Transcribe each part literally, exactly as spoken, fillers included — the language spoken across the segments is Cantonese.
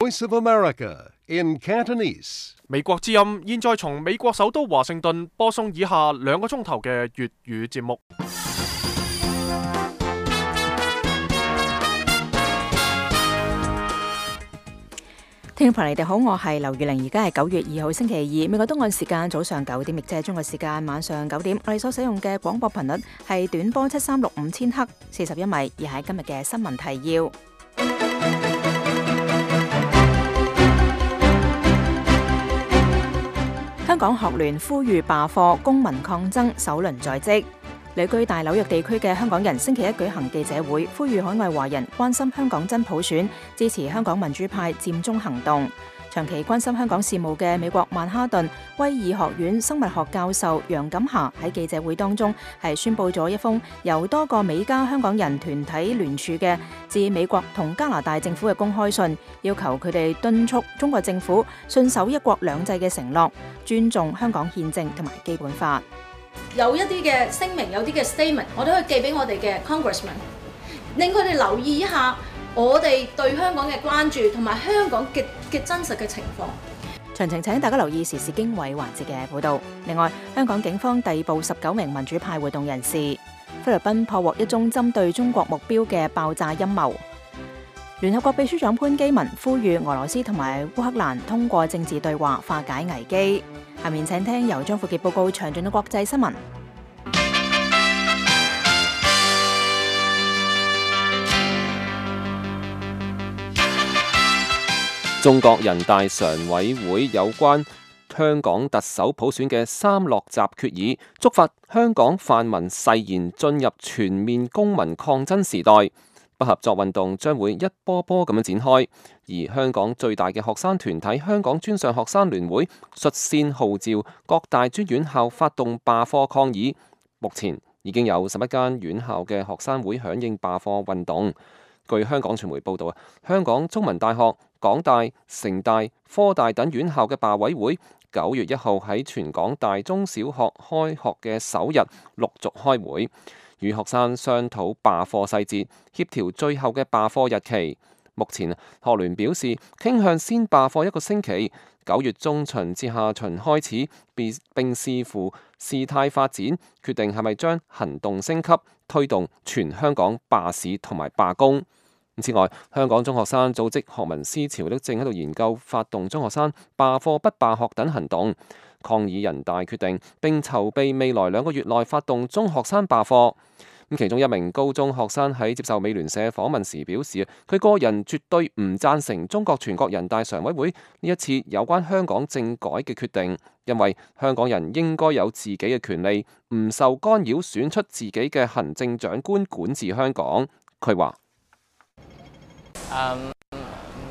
Voice of America in Cantonese。美國之音現在從美國首都華盛頓播送以下兩個鐘頭嘅粵語節目。聽眾朋友，你哋好，我係劉月玲，而家係九月二號星期二，美國東岸時間早上九點，亦即係中國時間晚上九點。我哋所使用嘅廣播頻率係短波七三六五千赫，四十一米，而係今日嘅新聞提要。香港學聯呼籲罷課，公民抗爭首輪在即。旅居大紐約地區嘅香港人星期一舉行記者會，呼籲海外華人關心香港真普選，支持香港民主派佔中行動。長期關心香港事務嘅美國曼哈頓威爾學院生物學教授楊錦霞喺記者會當中係宣佈咗一封由多個美加香港人團體聯署嘅致美國同加拿大政府嘅公開信，要求佢哋敦促中國政府信守一國兩制嘅承諾，尊重香港憲政同埋基本法。有一啲嘅聲明，有啲嘅 statement， 我都可以寄俾我哋嘅 congressman， 令佢哋留意一下我哋對香港嘅關注同埋香港嘅嘅真實嘅情況。詳情請大家留意時事經緯環節嘅報導。另外，香港警方逮捕十九名民主派活動人士。菲律賓破獲一宗針對中國目標嘅爆炸陰謀。聯合國秘書長潘基文呼籲俄羅斯同埋烏克蘭通過政治對話化解危機。下面請聽由張富傑報告詳盡嘅國際新聞。中國人大常委會有關香港特首普選嘅三落閘決議，觸發香港泛民誓言進入全面公民抗爭時代。不合作運動將會一波波咁樣展開，而香港最大嘅學生團體香港專上學生聯會率先號召各大專院校發動罷課抗議。目前已經有十一間院校嘅學生會響應罷課運動。據香港傳媒報道啊，香港中文大學、港大、城大、科大等院校嘅罷委會九月一號喺全港大中小學開學嘅首日陸續開會，與學生商討罷課細節，協調最後嘅罷課日期。目前學聯表示傾向先罷課一個星期，九月中旬至下旬開始，並視乎事態發展，決定係咪將行動升級，推動全香港罷市同埋罷工。此外，香港中學生組織學民思潮都正喺度研究發動中學生罷課不罷學等行動，抗議人大決定，並籌備未來兩個月內發動中學生罷課。咁其中一名高中學生喺接受美聯社訪問時表示，佢個人絕對唔贊成中國全國人大常委會呢一次有關香港政改嘅決定，因為香港人應該有自己嘅權利，唔受干擾選出自己嘅行政長官管治香港。佢話Um,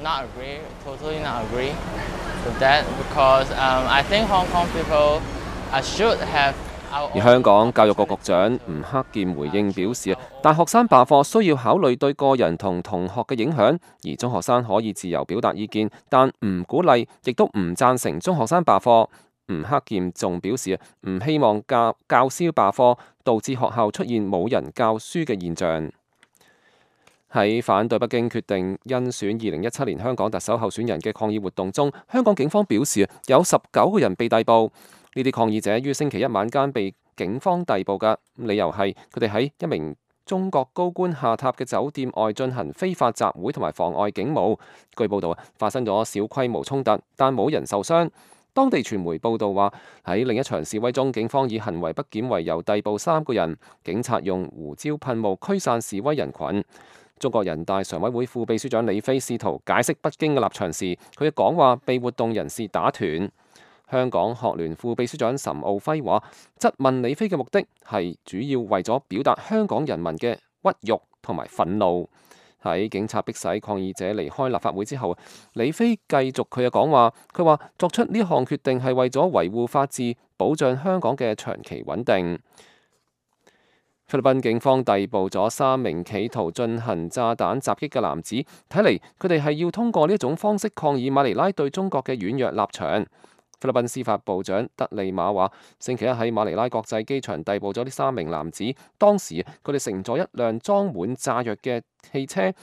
not agree, totally not agree with that because um, I think Hong Kong people should have our own... 而香港教育局局長吳克儉回應表示，大學生罷課需要考慮對個人同同學嘅影響，而中學生可以自由表達意見，但唔鼓勵，亦都唔贊成中學生罷課。吳克儉仲表示，唔希望教教師罷課，導致學校出現冇人教書嘅現象。喺反對北京決定甄選二零一七年香港特首候選人嘅抗議活動中，香港警方表示有十九個人被逮捕。呢啲抗議者於星期一晚間被警方逮捕嘅理由係佢哋喺一名中國高官下榻嘅酒店外進行非法集會同埋妨礙警務。據報道發生咗小規模衝突，但冇人受傷。當地傳媒報道話喺另一場示威中，警方以行為不檢為由逮捕三個人，警察用胡椒噴霧驅散示威人群。中國人大常委會副秘書長李飛試圖解釋北京嘅立場時，佢嘅講話被活動人士打斷。香港學聯副秘書長岑敖暉話，質問李飛嘅目的係主要為咗表達香港人民嘅屈辱同埋憤怒。喺警察迫使抗議者離開立法會之後，李飛繼續佢嘅講話，佢話作出呢項決定係為咗維護法治，保障香港嘅長期穩定。菲律賓警方逮捕咗三名企圖進行炸彈襲擊嘅男子，睇嚟佢哋係要通過呢一種方式抗議馬尼拉對中國嘅軟弱立場。菲律賓司法部長德利馬話，星期一喺馬尼拉國際機場逮捕咗呢三名男子，當時佢哋乘坐一輛裝滿炸藥嘅汽車。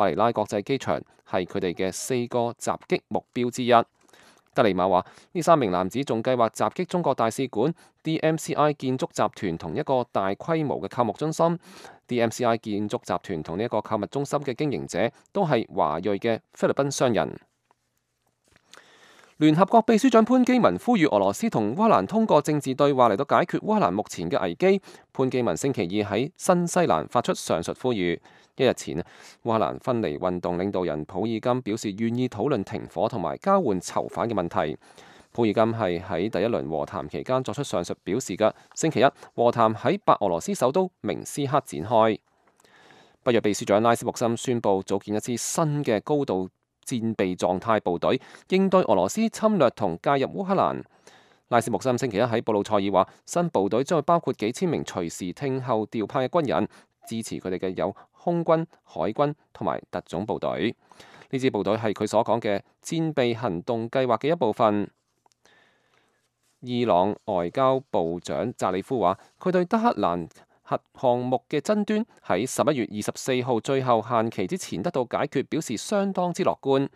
馬尼拉國際機場係佢哋嘅四個襲擊目標之一。德利馬話：呢三名男子仲計劃襲擊中國大使館、D M C I 建築集團同一個大規模嘅購物中心。D M C I 建築集團同呢一個購物中心嘅經營者都係華裔嘅菲律賓商人。聯合國秘書長潘基文呼籲俄羅斯同烏克蘭通過政治對話嚟到解決烏克蘭目前嘅危機。潘基文星期二喺新西蘭發出上述呼籲。一日前，烏克蘭分離運動領導人普爾金表示願意討論停火同埋交換囚犯嘅問題。普爾金係喺第一輪和談期間作出上述表示嘅。星期一，和談喺白俄羅斯首都明斯克展開。北約秘書長拉斯穆森宣布組建一支新嘅高度戰備狀態部隊，應對俄羅斯侵略同介入烏克蘭。拉斯穆森星期一喺布魯塞爾話，新部隊將會包括幾千名隨時聽候調派嘅軍人，支持佢哋嘅有空軍、海軍同埋特種部隊。呢支部隊係佢所講嘅戰備行動計劃嘅一部分。伊朗外交部長扎里夫話，佢對德黑蘭核項目嘅爭端喺十一月二十四號最後限期之前得到解決，表示相當之樂觀。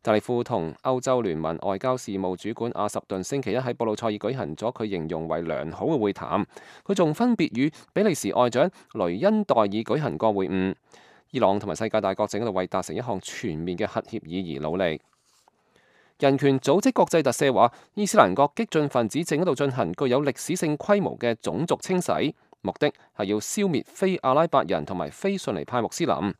扎里夫同歐洲聯盟外交事務主管阿什頓星期一喺布魯塞爾舉行咗佢形容為良好嘅會談。佢仲分別與比利時外長雷恩代爾舉行過會晤。伊朗同埋世界大國正喺度為達成一項全面嘅核協議而努力。人權組織國際特赦話，伊斯蘭國激進分子正喺度進行具有歷史性規模嘅種族清洗，目的係要消滅非阿拉伯人同埋非遜尼派穆斯林。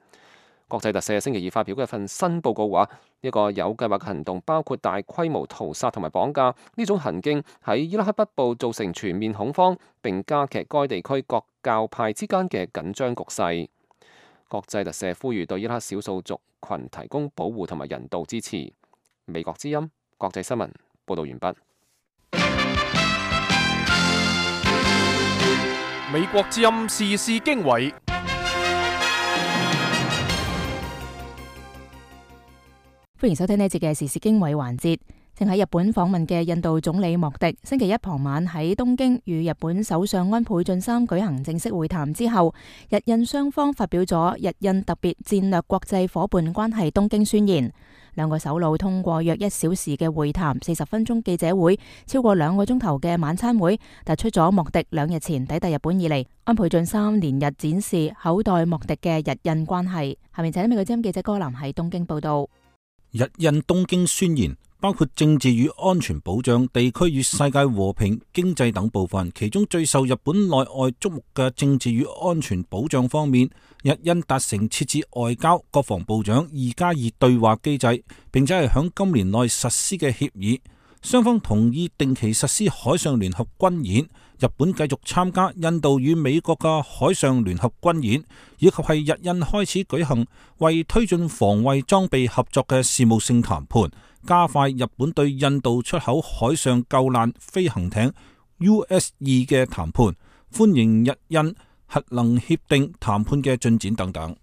國際特赦星期二發表嘅一份新報告話，呢個有計劃嘅行動包括大規模屠殺同埋綁架。呢種行徑喺伊拉克北部造成全面恐慌，並加劇該地區各教派之間嘅緊張局勢。國際特赦呼籲對伊拉克少數族群提供保護同埋人道支持。美國之音國際新聞報道完畢。美國之音時事經緯。歡迎收聽呢一節嘅時事經緯環節。正喺日本訪問嘅印度總理莫迪，星期一傍晚喺東京與日本首相安倍晉三舉行正式會談之後，日印雙方發表咗日印特別戰略國際夥伴關係東京宣言。兩個首腦通過約一小時嘅會談、四十分鐘記者會、超過兩個鐘頭嘅晚餐會，突出咗莫迪兩日前抵達日本以嚟，安倍晉三連日展示厚待莫迪嘅日印關係。下面請美國之音記者柯南喺東京報道。日印東京宣言包括政治與安全保障、地區與世界和平、經濟等部分，其中最受日本內外矚目嘅政治與安全保障方面，日印達成設置外交、國防部長二加二對話機制，並且係響今年內實施嘅協議。雙方同意定期實施海上聯合軍演，日本繼續參加印度與美國嘅海上聯合軍演，以及係日印開始舉行為推進防衛裝備合作嘅事務性談判，加快日本對印度出口海上救難飛行艇 U S 二嘅談判，歡迎日印核能協定談判嘅進展等等。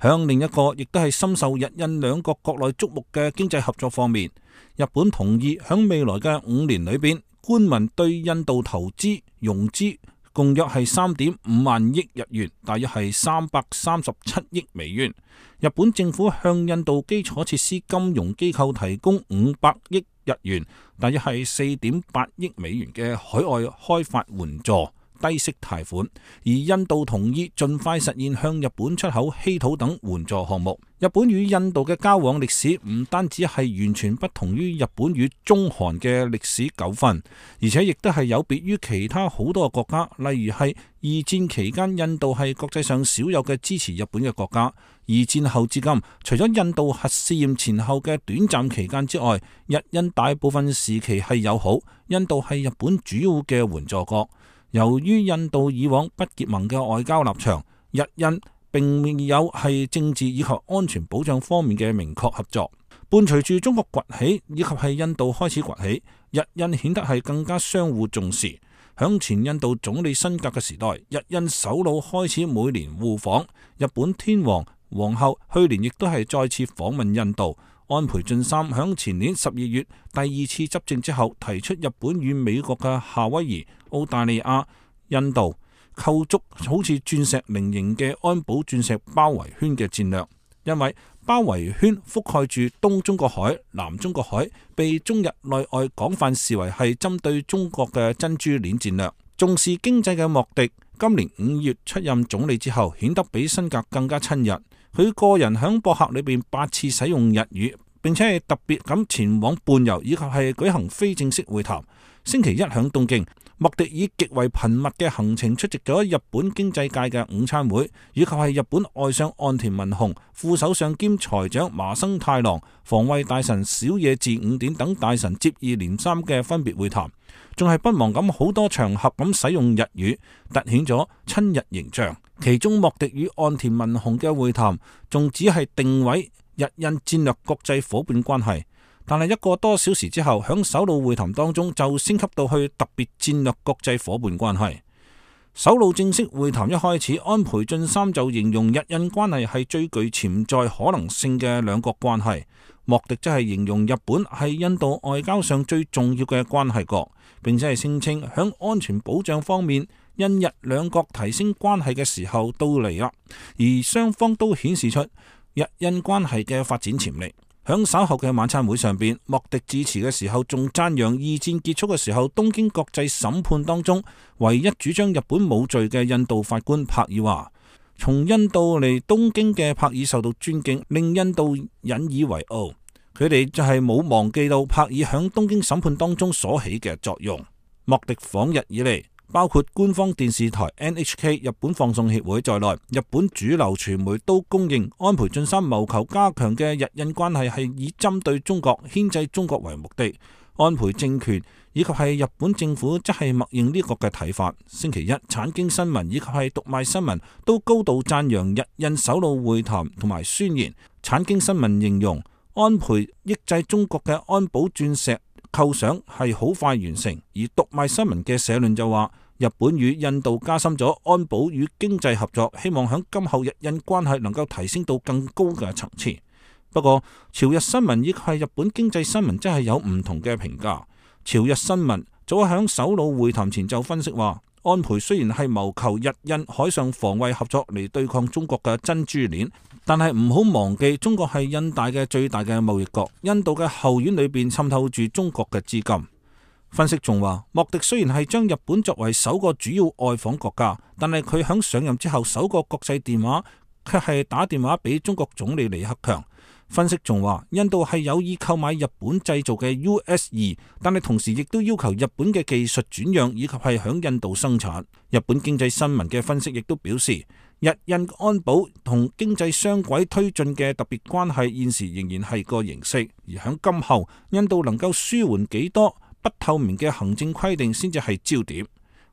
響另一個亦都係深受日印兩國國內矚目嘅經濟合作方面，日本同意響未來嘅五年裏邊，官民對印度投資融資共約係三點五萬億日元，大約係三百三十七億美元。日本政府向印度基礎設施金融機構提供五百億日元，大約係四點八億美元嘅海外開發援助低息貸款，而印度同意盡快實現向日本出口稀土等援助項目。日本與印度嘅交往歷史唔單止係完全不同於日本與中韓嘅歷史糾紛，而且亦都係有別於其他好多個國家，例如係二戰期間印度係國際上少有嘅支持日本嘅國家。二戰後至今，除咗印度核試驗前後嘅短暫期間之外，日印大部分時期係友好，印度係日本主要嘅援助國。由於印度以往不結盟嘅外交立場，日印並未有係政治以及安全保障方面嘅明確合作。伴隨住中國崛起以及係印度開始崛起，日印顯得係更加相互重視。響前印度總理辛格嘅時代，日印首腦開始每年互訪。日本天皇皇后去年亦都係再次訪問印度。安倍晉三響前年十二月第二次執政之後，提出日本與美國嘅夏威夷、澳大利亞、印度構築好似鑽石菱形嘅安保鑽石包圍圈嘅戰略。因為包圍圈覆蓋住東中國海、南中國海，被中日內外廣泛視為係針對中國嘅珍珠鏈戰略。重視經濟嘅莫迪今年五月出任總理之後，顯得比辛格更加親日。佢個人響博客裏邊八次使用日語，並且係特別咁前往伴遊以及係舉行非正式會談。星期一響東京，莫迪以極為頻密嘅行程出席咗日本經濟界嘅午餐會，以及係日本外相岸田文雄、副首相兼財長麻生太郎、防衛大臣小野寺五典等大臣接二連三嘅分別會談，仲係不忘咁好多場合咁使用日語，凸顯咗親日形象。其中莫迪與岸田文雄嘅會談仲只係定位日印戰略國際夥伴關係，但係一個多小時之後，響首腦會談當中就升級到去特別戰略國際夥伴關係。首腦正式會談一開始，安倍晉三就形容日印關係係最具潛在可能性嘅兩國關係，莫迪則係形容日本係印度外交上最重要嘅關係國，並且係聲稱響安全保障方面，印日兩國提升關係嘅時候到嚟啦，而雙方都顯示出日印關係嘅發展潛力。響稍後嘅晚餐會上邊，莫迪致辭嘅時候仲讚揚二戰結束嘅時候東京國際審判當中唯一主張日本冇罪嘅印度法官帕爾話，從印度嚟東京嘅帕爾受到尊敬，令印度引以為傲。佢哋就係冇忘記到帕爾響東京審判當中所起嘅作用。莫迪訪日以嚟，包括官方電視台 N H K、日本放送協會在內，日本主流傳媒都公認安倍晉三謀求加強嘅日印關係係以針對中國、牽制中國為目的。安倍政權以及係日本政府則係默認呢個嘅睇法。星期一，產經新聞以及係讀賣新聞都高度讚揚日印首腦會談同埋宣言。產經新聞形容安倍抑制中國嘅安保鑽石構想係好快完成，而讀賣新聞嘅社論就話，日本與印度加深咗安保與經濟合作，希望響今後日印關係能夠提升到更高嘅層次。不過，朝日新聞以及係日本經濟新聞真係有唔同嘅評價。朝日新聞早響首腦會談前就分析話，安倍雖然係謀求日印海上防衛合作嚟對抗中國嘅珍珠鏈，但係唔好忘記中國係印大嘅最大嘅貿易國，印度嘅後院裏邊滲透住中國嘅資金。分析仲話，莫迪雖然係將日本作為首個主要外訪國家，但係佢響上任之後首個國際電話卻係打電話俾中國總理李克強。分析仲話，印度係有意購買日本製造嘅 U S 二，但係同時亦都要求日本嘅技術轉讓以及係響印度生產。日本經濟新聞嘅分析亦都表示，日印安保同經濟雙軌推進嘅特別關係現時仍然係個形式，而響今後印度能夠舒緩幾多不透明嘅行政規定先至係焦點。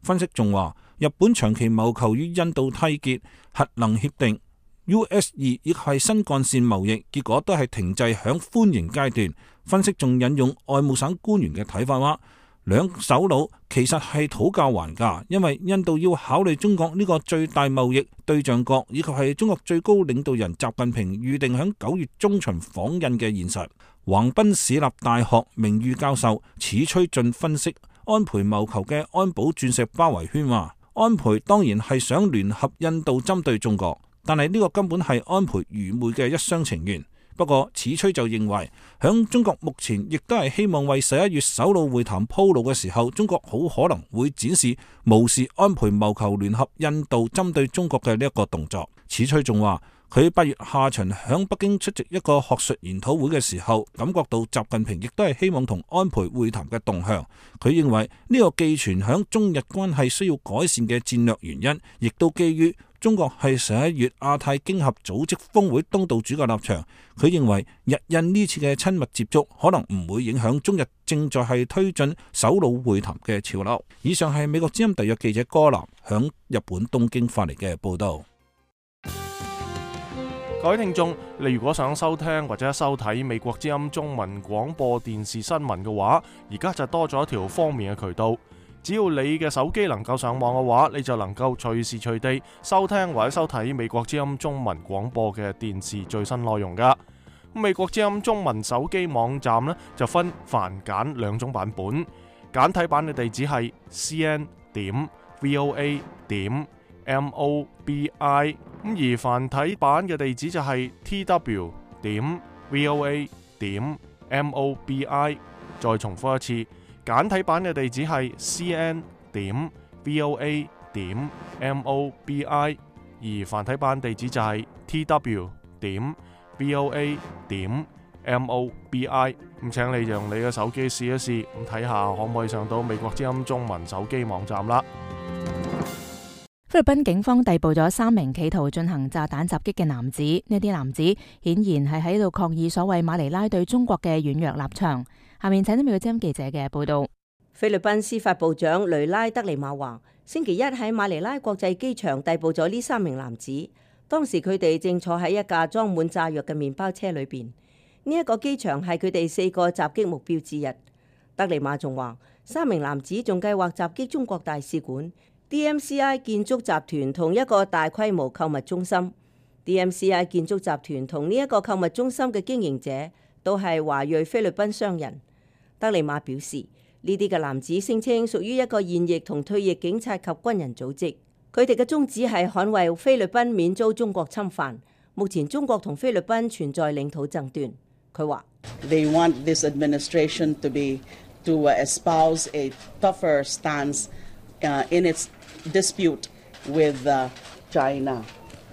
分析仲話，日本長期謀求與印度締結核能協定 U S 二亦係新幹線貿易，結果都係停滯響歡迎階段。分析仲引用外務省官員嘅睇法話，兩首腦其實係討價還價，因為印度要考慮中國呢個最大貿易對象國，以及係中國最高領導人習近平預定響九月中旬訪印嘅現實。橫濱市立大學名譽教授矢吹俊分析安倍謀求嘅安保鑽石包圍圈話，安倍當然係想聯合印度針對中國，但係呢個根本係安倍愚昧嘅一廂情願。不過矢吹就認為，響中國目前亦都係希望為十一月首腦會談鋪路嘅時候，中國好可能會展示無視安倍謀求聯合印度針對中國嘅呢一個動作。矢吹仲話，佢八月下旬響北京出席一個學術研討會嘅時候，感覺到習近平亦都係希望同安倍會談嘅動向。佢認為呢個寄存響中日關係需要改善嘅戰略原因，亦都基於中國係十一月亞太經合組織峰會東道主嘅立場。佢認為日印呢次嘅親密接觸可能唔會影響中日正在係推進首腦會談嘅潮流。以上係美國之音特約記者柯南響日本東京發嚟嘅報道。各位聽眾，你如果想收聽或者收睇美國之音中文廣播電視新聞嘅話，而家就多咗一條方便嘅渠道。只要你嘅手機能夠上網嘅話，你就能夠隨時隨地收聽或者收睇美國之音中文廣播嘅電視最新內容噶。美國之音中文手機網站呢，就分繁簡兩種版本，簡體版嘅地址係 c n 點 v o a 點 M O B I。咁而繁體版嘅地址就係 T W 點 V O A 點 M O B I。再重複一次，簡體版嘅地址係 C N 點 V O A 點 M O B I。而繁體版地址就係 T W 點 V O A 點 M O B I。咁請你用你嘅手機試一試，咁睇下可唔可以上到美國之音中文手機網站啦。菲律賓警方逮捕咗三名企圖進行炸彈襲擊嘅男子，呢啲男子顯然係喺度抗議所謂馬尼拉對中國嘅軟弱立場。下面請聽美國之音記者嘅報道。菲律賓司法部長雷拉德尼馬話，星期一喺馬尼拉國際機場逮捕咗呢三名男子，當時佢哋正坐喺一架裝滿炸藥嘅麵包車裏邊。呢一個機場係佢哋四個襲擊目標之一。德尼馬仲話，三名男子仲計劃襲擊中國大使館、D M C I 建築集團同一個大規模購物中心。D M C I 建築集團同呢一個購物中心嘅經營者都係華裔菲律賓商人。德尼馬表示，呢啲嘅男子聲稱屬於一個現役同退役警察及軍人組織，佢哋嘅宗旨係捍衛菲律賓免遭中國侵犯。目前中國同菲律賓存在領土爭端。佢話 They want this administration to be to espouse a tougher stance in its dispute with China。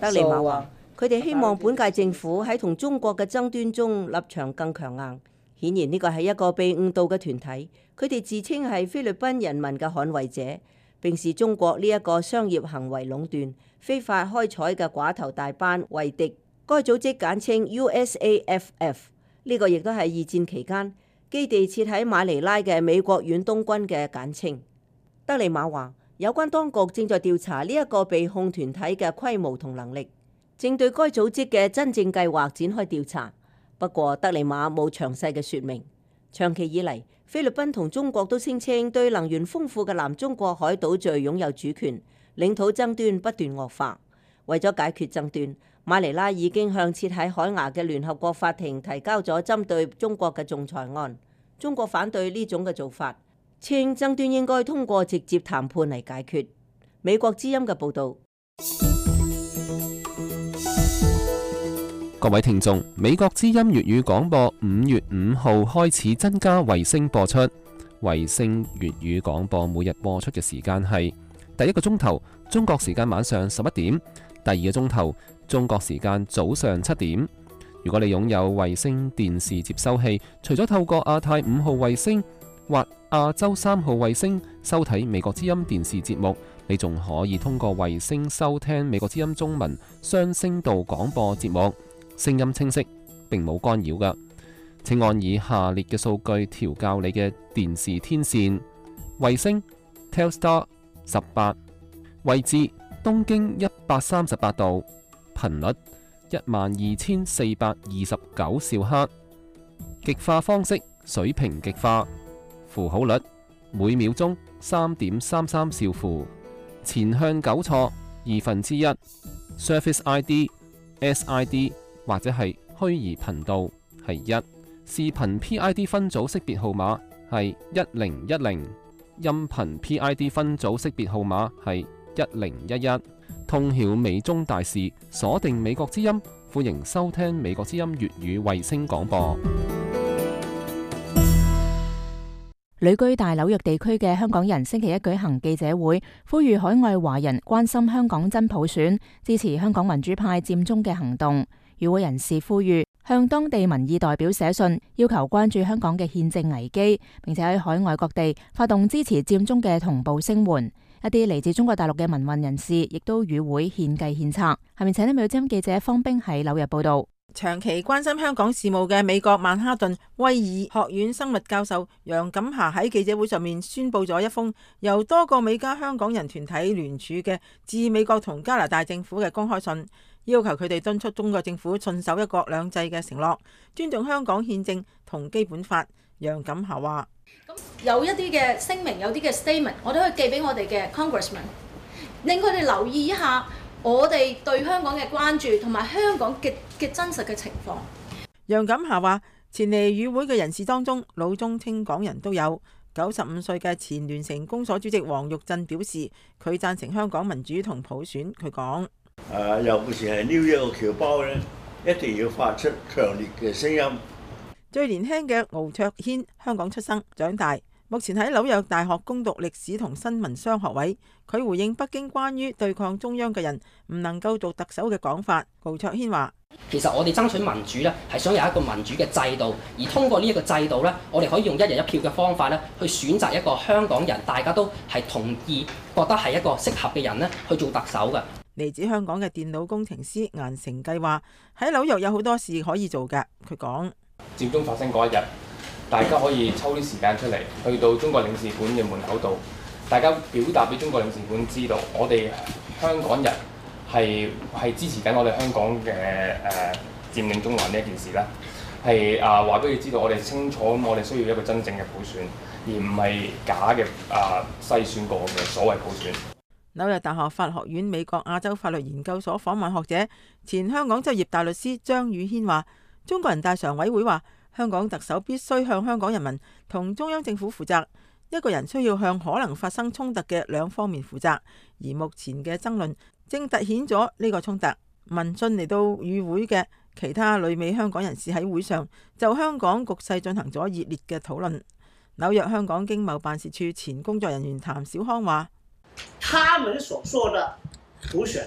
德尼馬話，佢哋希望本屆政府喺同中國嘅爭端中立場更強硬。顯然呢個係一個被誤導嘅團體，佢哋自稱係菲律賓人民嘅捍衛者，並視中國呢一個商業行為壟斷、非法開採嘅寡頭大班為敵。該組織簡稱 U S A F F， 呢個亦都係二戰期間基地設喺馬尼拉嘅美國遠東軍嘅簡稱。德尼馬話，有關當局正在調查呢一個被控團體嘅規模同能力，正對該組織嘅真正計劃展開調查。不過，德尼馬冇詳細嘅說明。長期以嚟，菲律賓同中國都聲稱對能源豐富嘅南中國海島嶼擁有主權，領土爭端不斷惡化。為咗解決爭端，馬尼拉已經向設喺海牙嘅聯合國法庭提交咗針對中國嘅仲裁案。中國反對呢種嘅做法，稱爭端應該通過直接談判嚟解決。美國之音嘅報導。各位聽眾，美國之音粵語廣播五月五號開始增加衛星播出。衛星粵語廣播每日播出嘅時間係第一個鐘頭中國時間晚上十一點，第二個鐘頭中國時間早上七點。如果你擁有衛星電視接收器，除咗透過亞太五號衛星或亞洲三號衛星收睇美國之音電視節目，你仲可以通過衛星收聽美國之音中文雙聲道廣播節目。聲音清晰，並冇干擾㗎。請按以下列嘅數據調校你嘅電視天線：衛星 Telstar 十八，位置東經一百三十八度，頻率一萬二千四百二十九兆赫，極化方式水平極化，符號率每秒鐘三點三三兆符，前向糾錯二分之一 ，Service I D S I D。或者係虛擬頻道係一，視頻 P I D 分組識別號碼係一零一零，音頻 P I D 分組識別號碼係一零一一。通曉美中大事，鎖定美國之音，歡迎收聽美國之音粵語衛星廣播。旅居大紐約地區嘅香港人星期一舉行記者會，呼籲海外華人關心香港真普選，支持香港民主派佔中嘅行動。與會人士呼籲向當地民意代表寫信，要求關注香港嘅憲政危機，並且喺海外各地發動支持佔中嘅同步聲援。一啲嚟自中國大陸嘅民運人士亦都與會獻計獻策。下面請聽美國之音記者方冰喺紐約報道。長期關心香港事務嘅美國曼哈頓威爾學院生物教授楊錦霞喺記者會上面宣布咗一封由多個美加香港人團體聯署嘅致美國同加拿大政府嘅公開信，要求佢哋敦促中國政府信守一國兩制嘅承諾，尊重香港憲政同基本法。楊錦霞話：咁有一啲嘅聲明，有啲嘅 statement， 我都可以寄俾我哋嘅 congressman， 令佢哋留意一下我哋對香港嘅關注同埋香港嘅嘅真實嘅情況。楊錦霞話：前嚟與會嘅人士當中，老中青港人都有，九十五歲嘅前聯成公所主席黃玉鎮表示，佢贊成香港民主同普選。佢講：誒，尤其是係 New York 嘅僑胞咧，一定要發出強烈嘅聲音。最年輕嘅敖卓軒，香港出生長大，目前喺紐約大學攻讀歷史同新聞雙學位。佢回應北京關於對抗中央嘅人唔能夠做特首嘅講法。敖卓軒話：其實我哋爭取民主咧，係想有一個民主嘅制度，而通過呢一個制度咧，我哋可以用一人一票嘅方法咧，去選擇一個香港人，大家都係同意覺得係一個適合嘅人咧，去做特首嘅。嚟自香港嘅電腦工程師顏成計話：喺紐約有好多事可以做嘅。佢講：佔中發生嗰一日，大家可以抽啲時間出嚟，去到中國領事館嘅門口度，大家表達俾中國領事館知道，我哋香港人係係支持緊我哋香港嘅誒佔領中環呢一件事啦，係啊話俾佢知道，我哋清楚咁，我哋需要一個真正嘅普選，而唔係假嘅啊篩選過嘅所謂普選。紐約大學法學院美國亞洲法律研究所訪問學者、前香港執業大律師張宇軒話：中國人大常委會話，香港特首必須向香港人民同中央政府負責。一個人需要向可能發生衝突嘅兩方面負責，而目前嘅爭論正凸顯咗呢個衝突。民進嚟到與會嘅其他旅美香港人士喺會上就香港局勢進行咗熱烈嘅討論。紐約香港經貿辦事處前工作人員譚小康話：他們所說的普選，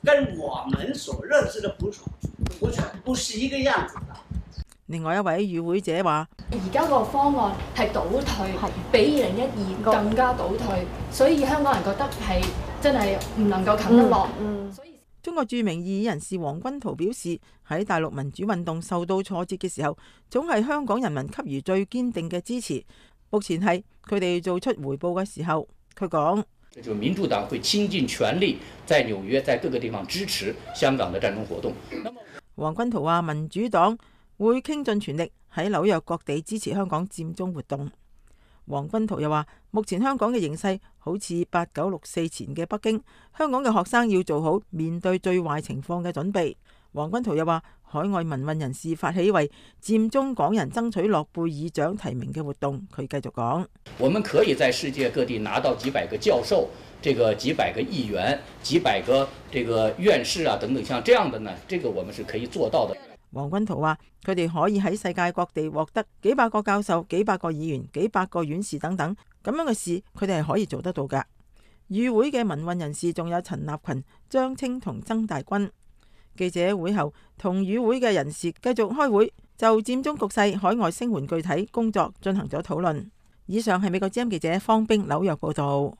跟我們所認識的普選普選不是一個樣子的。另外一位與會者話：而家個方案係倒退，比二零一二更加倒退，所以香港人覺得係真係唔能夠啃得落。嗯嗯、所以中國著名異議人士黃君濤表示，喺大陸民主運動受到挫折嘅時候，總係香港人民給予最堅定嘅支持。目前係佢哋做出回報嘅時候，佢講：就民主黨會傾盡全力，在紐約在各個地方支持香港嘅戰爭活動。黃君濤話：民主黨會傾盡全力喺紐約各地支持香港佔中活動。黃君濤又話：目前香港嘅形勢好似八九六四前嘅北京，香港嘅學生要做好面對最壞情況嘅準備。黃君濤又話：海外民運人士發起為佔中港人爭取諾貝爾獎提名嘅活動。佢繼續講：我們可以在世界各地拿到幾百個教授、這個幾百個議員、幾百個這個院士啊等等，像這樣的呢，這個我們是可以做到的。黃君濤話：佢哋可以喺世界各地獲得幾百個教授、幾百個議員、幾百個院士等等咁樣嘅事，佢哋係可以做得到㗎。與會嘅民運人士仲有陳立群、張青同曾大軍。記者會後同與會嘅人士繼續開會，就佔中局勢、海外聲援具體工作進行咗討論。以上係美國之音記者方冰紐約報道。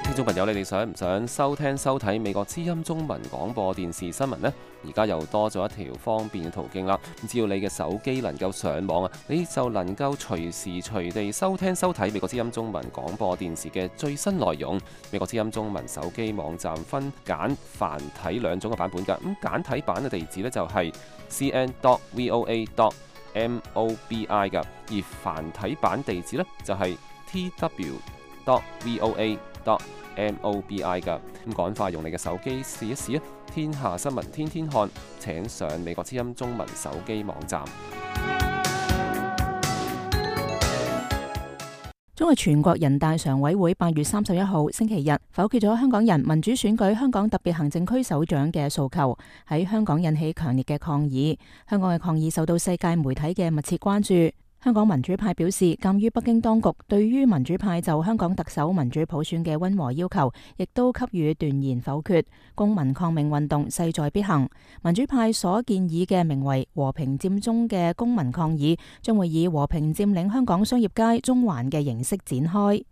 聽眾朋友，你哋想唔想收聽收睇美國之音中文廣播電視新聞呢？而家又多咗一條方便嘅途徑啦！只要你嘅手機能夠上網啊，你就能夠隨時隨地收聽收睇美國之音中文廣播電視嘅最新內容。美國之音中文手機網站分簡繁體兩種嘅版本㗎。咁簡體版嘅地址呢，就係 c n dot voa dot mobi 㗎，而繁體版地址呢，就係 t w dot voa dot mobi 㗎。咁趕快用你嘅手機試一試啊！天下新聞天天看，請上美國之音中文手機網站。中國全國人大常委會八月三十一號星期日否決咗香港人民主選舉香港特別行政區首長嘅訴求，喺香港引起強烈嘅抗議。香港嘅抗議受到世界媒體嘅密切關注。香港民主派表示，鑑於北京當局對於民主派就香港特首民主普選嘅溫和要求，亦都給予斷然否決，公民抗命運動勢在必行。民主派所建議嘅名為和平佔中嘅公民抗議，將會以和平佔領香港商業街中環嘅形式展開。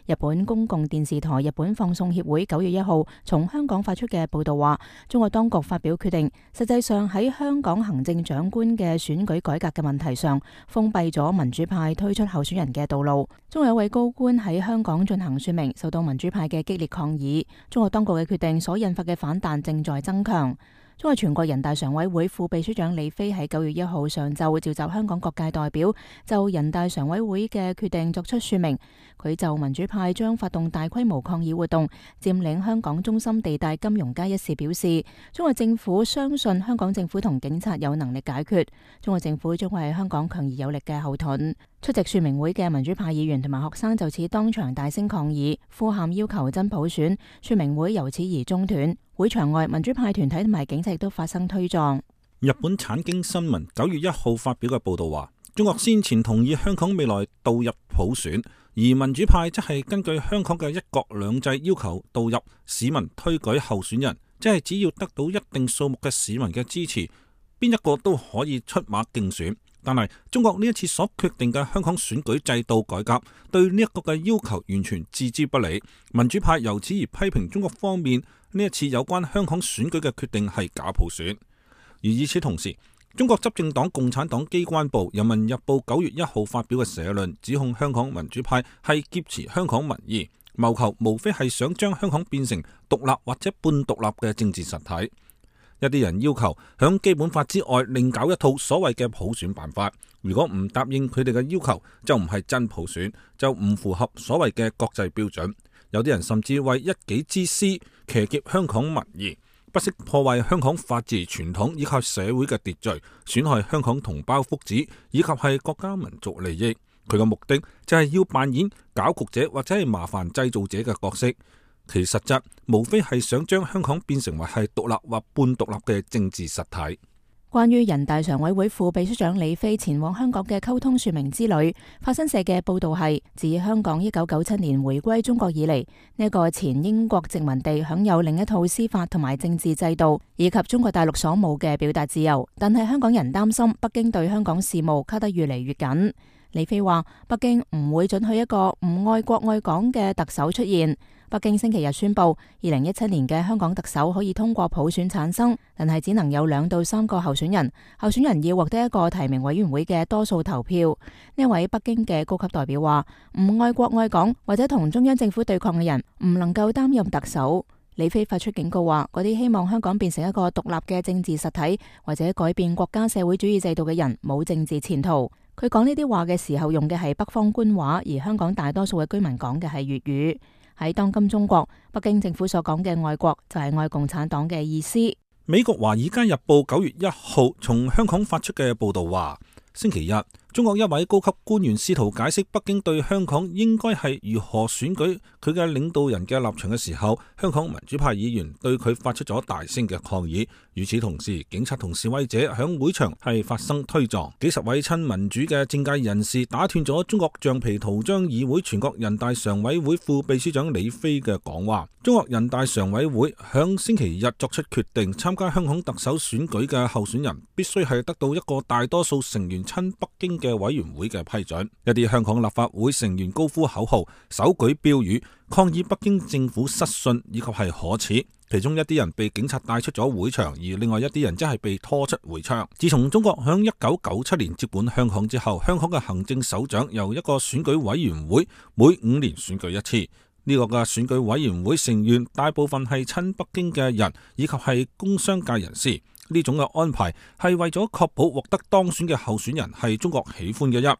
日本公共電視台日本放送協會九月一號從香港發出嘅報道話，中國當局發表決定，實際上喺香港行政長官嘅選舉改革嘅問題上，封閉咗民主派推出候選人嘅道路。中國有位高官喺香港進行說明，受到民主派嘅激烈抗議。中國當局嘅決定所引發嘅反彈正在增強。中國全國人大常委會副秘書長李飛喺九月一號上晝召集香港各界代表，就人大常委會嘅決定作出說明。佢就民主派將發動大規模抗議活動，佔領香港中心地帶金融街一事表示，中國政府相信香港政府同警察有能力解決，中國政府將會係香港強而有力嘅後盾。出席說明會嘅民主派議員同埋學生就此當場大聲抗議，呼喊要求真普選，說明會由此而中斷。會場外民主派團體同埋警察亦都發生推撞。日本產經新聞九月一號發表嘅報道話，中國先前同意香港未來導入普選，而民主派則係根據香港嘅一國兩制要求導入市民推舉候選人，即係只要得到一定數目嘅市民嘅支持，邊一個都可以出馬競選。但係中國呢一次所決定嘅香港選舉制度改革，對呢一個嘅要求完全置之不理。民主派由此而批評中國方面呢一次有關香港選舉嘅決定係假普選。而與此同時，中國執政黨共產黨機關報《人民日報》九月一號發表嘅社論，指控香港民主派係劫持香港民意，謀求無非係想將香港變成獨立或者半獨立嘅政治實體。一啲人要求響基本法之外另搞一套所謂嘅普選辦法，如果唔答應佢哋嘅要求，就唔係真普選，就唔符合所謂嘅國際標準。有啲人甚至為一己之私騎劫香港民意，不惜破壞香港法治傳統以及社會嘅秩序，損害香港同胞福祉以及係國家民族利益。佢嘅目的就係要扮演搞局者或者係麻煩製造者嘅角色，其實質無非係想將香港變成為係獨立或半獨立嘅政治實體。關於人大常委會副秘書長李飛前往香港嘅溝通說明之旅，法新社嘅報道係，自香港一九九七年回歸中國以嚟，呢一個前英國殖民地享有另一套司法同埋政治制度，以及中國大陸所冇嘅表達自由。但係香港人擔心北京對香港事務卡得越嚟越緊。李飛話，北京唔會准許一個唔愛國愛港嘅特首出現。北京星期日宣布，二零一七年嘅香港特首可以通過普選產生，但係只能有兩到三個候選人，候選人要獲得一個提名委員會嘅多數投票。呢位北京嘅高級代表話，唔愛國愛港或者同中央政府對抗嘅人唔能夠擔任特首。李飛發出警告話，嗰啲希望香港變成一個獨立嘅政治實體或者改變國家社會主義制度嘅人冇政治前途。佢講呢啲話嘅時候用嘅係北方官話，而香港大多數嘅居民講嘅係粵語。喺當今中國，北京政府所講嘅愛國就係愛共產黨嘅意思。美國華爾街日報九月一號從香港發出嘅報道話，星期日中國一位高級官員試圖解釋北京對香港應該係如何選舉佢嘅領導人嘅立場嘅時候，香港民主派議員對佢發出咗大聲嘅抗議。與此同時，警察同示威者響會場係發生推撞，幾十位親民主嘅政界人士打斷咗中國橡皮圖章議會全國人大常委會副秘書長李飛嘅講話。中國人大常委會響星期日作出決定，參加香港特首選舉嘅候選人必須係得到一個大多數成員親北京嘅委員會嘅批准。一啲香港立法會成員高呼口號，手舉標語，抗議北京政府失信以及係可恥。其中一啲人被警察帶出咗會場，而另外一啲人則係被拖出會場。自從中國響一九九七年接管香港之後，香港嘅行政首長由一個選舉委員會每五年選舉一次。呢個嘅選舉委員會成員大部分係親北京嘅人，以及係工商界人士。呢種嘅安排係為咗確保獲得當選嘅候選人係中國喜歡嘅一。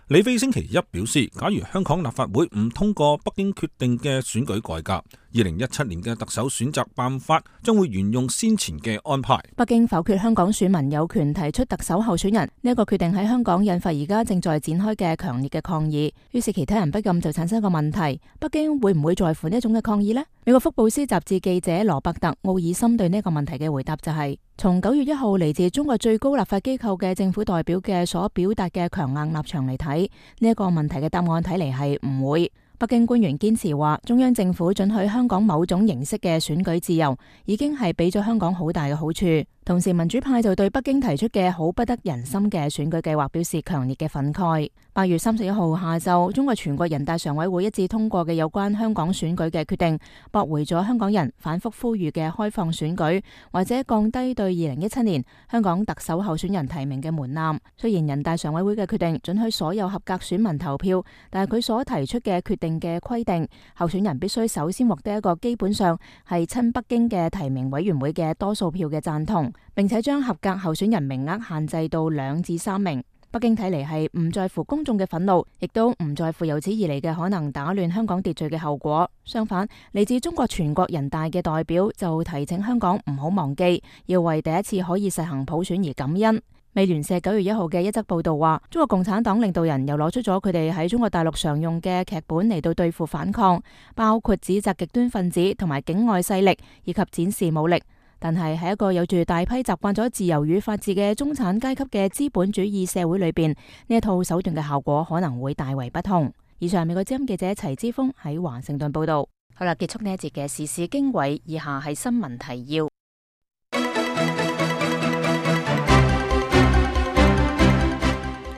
李飛星期一表示，假如香港立法會唔通過北京決定嘅選舉改革，二零一七年嘅特首選擇辦法將會沿用先前嘅安排。北京否決香港選民有權提出特首候選人呢一個決定喺香港引發而家正在展開嘅強烈嘅抗議，於是其他人不禁就產生一個問題：北京會唔會在乎呢一種嘅抗議呢？美國福布斯雜誌記者羅伯特奧爾森對呢個問題嘅回答就係：從九月一號嚟自中國最高立法機構嘅政府代表嘅所表達嘅強硬立場嚟睇，呢一個問題嘅答案睇嚟係唔會。北京官員堅持話，中央政府准許香港某種形式嘅選舉自由，已經係俾咗香港好大嘅好處。同時，民主派就對北京提出嘅好不得人心嘅選舉計劃表示強烈嘅憤慨。八月三十一號下晝，中國全國人大常委會一致通過嘅有關香港選舉嘅決定，駁回咗香港人反覆呼籲嘅開放選舉，或者降低對二零一七年香港特首候選人提名嘅門檻。雖然人大常委會嘅決定准許所有合格選民投票，但係佢所提出嘅決定嘅規定，候選人必須首先獲得一個基本上係親北京嘅提名委員會嘅多數票嘅贊同，並且將合格候選人名額限制到兩至三名。北京睇嚟係唔在乎公眾嘅憤怒，亦都唔在乎由此而嚟嘅可能打亂香港秩序嘅後果。相反，嚟自中國全國人大嘅代表就提醒香港唔好忘記，要為第一次可以實行普選而感恩。美聯社九月一號嘅一則報道話，中國共產黨領導人又攞出咗佢哋喺中國大陸常用嘅劇本嚟到對付反抗，包括指責極端分子同埋境外勢力，以及展示武力。但係喺一個有住大批習慣咗自由與法治嘅中產階級嘅資本主義社會裏邊，呢一套手段嘅效果可能會大為不同。以上美國之音記者齊之鋒喺華盛頓報道。好啦，結束呢一節嘅時事經緯，以下係新聞提要。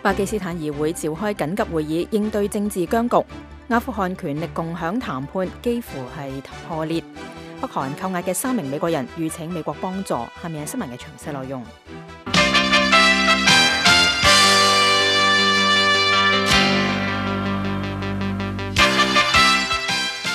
巴基斯坦議會召開緊急會議應對政治僵局，阿富汗權力共享談判幾乎係破裂。北韓扣押嘅三名美國人籲請美國幫助。下面係新聞嘅詳細內容。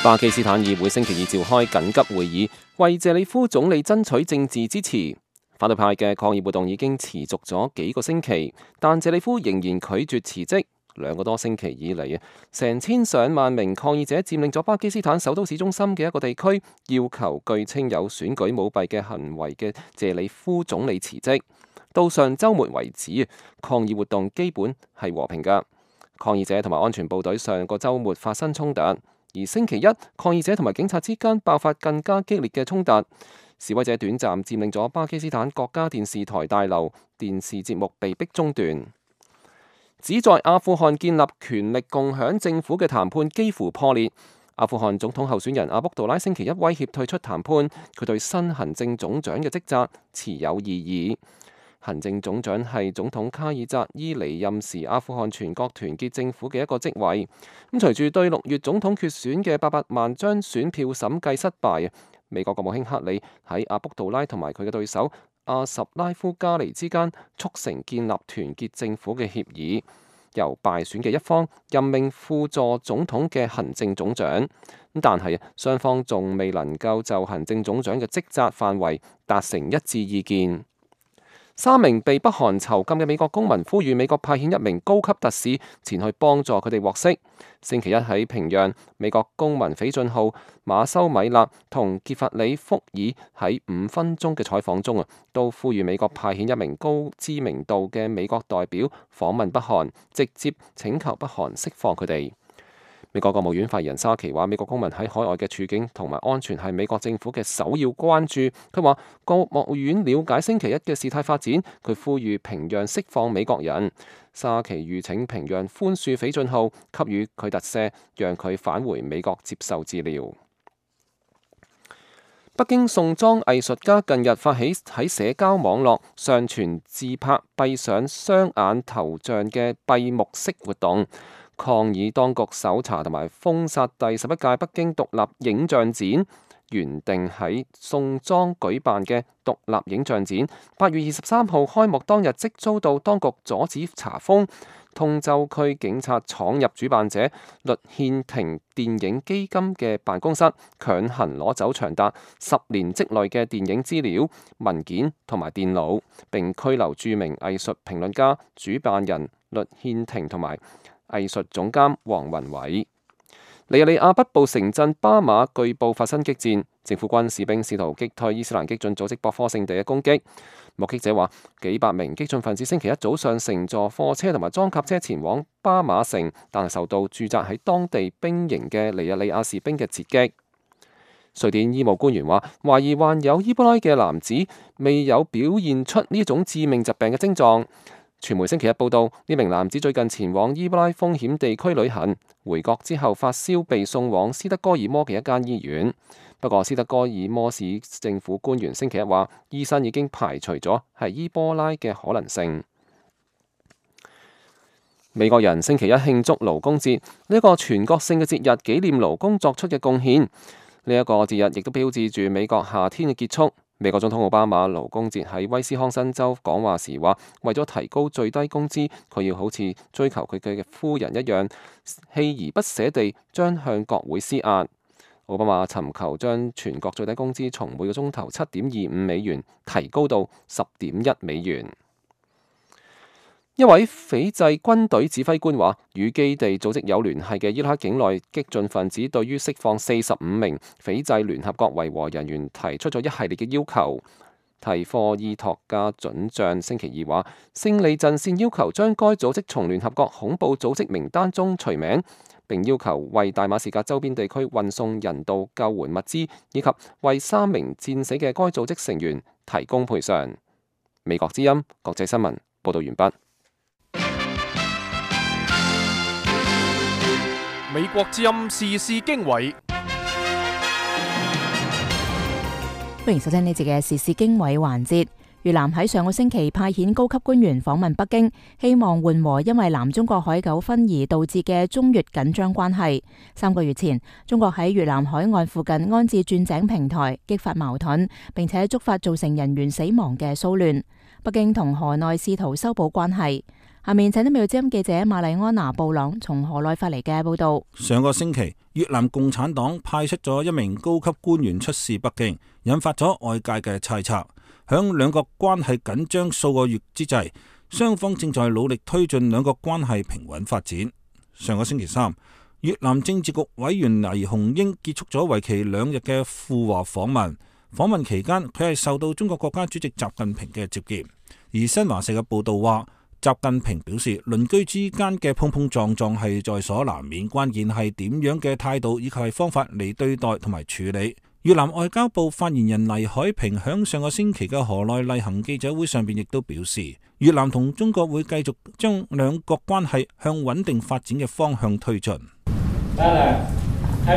巴基斯坦議會星期二召開緊急會議，為謝里夫總理爭取政治支持。反對派嘅抗議活動已經持續咗幾個星期，但謝里夫仍然拒絕辭職。兩個多星期以嚟啊，成千上萬名抗議者佔領咗巴基斯坦首都市中心嘅一個地區，要求據稱有選舉舞弊嘅行為嘅謝里夫總理辭職。到上週末為止，抗議活動基本係和平㗎。抗議者同埋安全部隊上個週末發生衝突，而星期一抗議者同埋警察之間爆發更加激烈嘅衝突。示威者短暫佔領咗巴基斯坦國家電視台大樓，電視節目被迫中斷。旨在阿富汗建立權力共享政府嘅談判幾乎破裂。阿富汗總統候選人阿卜杜拉星期一威脅退出談判，佢對新行政總長嘅職責持有異議。行政總長係總統卡爾扎伊離任時阿富汗全國團結政府嘅一個職位。咁隨住對六月總統決選嘅八百萬張選票審計失敗，美國國務卿克里喺阿卜杜拉同埋佢嘅對手阿什拉夫加尼之間促成建立團結政府嘅協議，由敗選嘅一方任命輔助總統嘅行政總長。但係雙方仲未能夠就行政總長嘅職責範圍達成一致意見。三名被北韓囚禁嘅美國公民呼籲美國派遣一名高級特使前去幫助佢哋獲釋。星期一喺平壤，美國公民斐俊浩、馬修米勒同傑弗里福爾喺五分鐘嘅採訪中啊，都呼籲美國派遣一名高知名度嘅美國代表訪問北韓，直接請求北韓釋放佢哋。美國國務院發言人沙奇話：美國公民喺海外嘅處境同埋安全係美國政府嘅首要關注。佢話國務院了解星期一嘅事態發展，佢呼籲平壤釋放美國人。沙奇籲請平壤寬恕斐俊浩，給予佢特赦，讓佢返回美國接受治療。北京宋莊藝術家近日發起喺社交網絡上傳自拍閉上雙眼頭像嘅閉幕式活動，抗議當局搜查同埋封殺第十一屆北京獨立影像展。原定喺宋莊舉辦嘅獨立影像展，八月二十三號開幕當日即遭到當局阻止查封。通州區警察闖入主辦者律憲庭電影基金嘅辦公室，強行攞走長達十年積累嘅電影資料、文件同埋電腦，並拘留著名藝術評論家、主辦人律憲庭同埋藝術總監黃雲偉。尼日利亞北部城鎮巴馬據報發生激戰，政府軍士兵試圖擊退伊斯蘭激進組織博科聖地嘅攻擊。目擊者話，幾百名激進分子星期一早上乘坐貨車同埋裝甲車前往巴馬城，但係受到駐紮喺當地兵營嘅尼日利亞士兵嘅截擊。瑞典醫務官員話，懷疑患有伊波拉嘅男子未有表現出呢種致命疾病嘅症狀。傳媒星期一報道，呢名男子最近前往伊布拉風險地區旅行，回國之後發燒，被送往斯德哥爾摩嘅一間醫院。不過，斯德哥爾摩市政府官員星期一話，醫生已經排除咗係伊波拉嘅可能性。美國人星期一慶祝勞工節，呢一個全國性嘅節日，紀念勞工作出嘅貢獻。呢一個節日亦都標誌住美國夏天嘅結束。美國總統奧巴馬勞工節喺威斯康辛州講話時話，為咗提高最低工資，佢要好似追求佢嘅夫人一樣，鍥而不捨地將向國會施壓。奧巴馬尋求將全國最低工資從每個鐘頭七點二五美元提高到十點一美元。一位斐濟軍隊指揮官話，與基地組織有聯繫嘅伊拉克境內激進分子對於釋放四十五名斐濟聯合國維和人員提出咗一系列嘅要求。提科伊托加准將星期二話，勝利陣線要求將該組織從聯合國恐怖組織名單中除名，並要求為大馬士革周邊地區運送人道救援物資，以及為三名戰死嘅該組織成員提供賠償。美國之音國際新聞報道完畢。美國之音時事經緯，歡迎收聽呢節嘅時事經緯環節。越南喺上個星期派遣高級官員訪問北京，希望緩和因為南中國海糾紛而導致嘅中越緊張關係。三個月前，中國喺越南海岸附近安置鑽井平台，激發矛盾，並且觸發造成人員死亡嘅騷亂。北京同河內試圖修補關係。下面請啲美國之音記者瑪麗安娜布朗從河內發嚟嘅報道。上個星期，越南共產黨派出咗一名高級官員出使北京，引發咗外界嘅猜測。響兩國關係緊張數個月之際，雙方正在努力推進兩國關係平穩發展。上個星期三，越南政治局委員黎鴻英結束咗為期兩日嘅赴華訪問。訪問期間，佢係受到中國國家主席習近平嘅接見。而新華社嘅報道話，習近平表示，鄰居之間嘅碰碰撞撞係在所難免，關鍵係點樣嘅態度以及係方法嚟對待同埋處理。越南外交部發言人黎海平響上個星期嘅河內例行記者會上邊亦都表示，越南同中國會繼續將兩國關係向穩定發展嘅方向推進。黎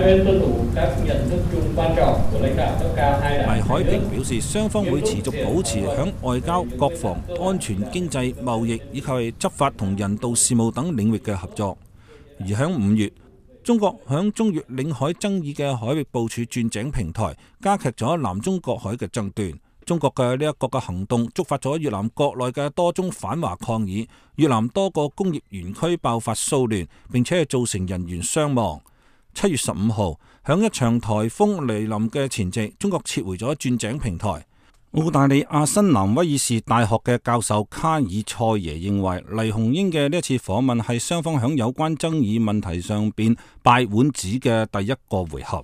海平表示，雙方會持續保持響外交、國防、安全、經濟、貿易以及係執法同人道事務等領域嘅合作。而響五月，中國響中越領海爭議嘅海域部署鑽井平台，加劇咗南中國海嘅爭端。中國嘅呢一個嘅行動觸發咗越南國內嘅多宗反華抗議，越南多個工業園區爆發騷亂，並且係造成人員傷亡。七月十五號，響一場颱風嚟臨嘅前夕，中國撤回咗鑽井平台。澳大利亞新南威爾士大學嘅教授卡爾塞耶認為，黎鴻英嘅呢一次訪問係雙方響有關爭議問題上邊拜碗子嘅第一個回合。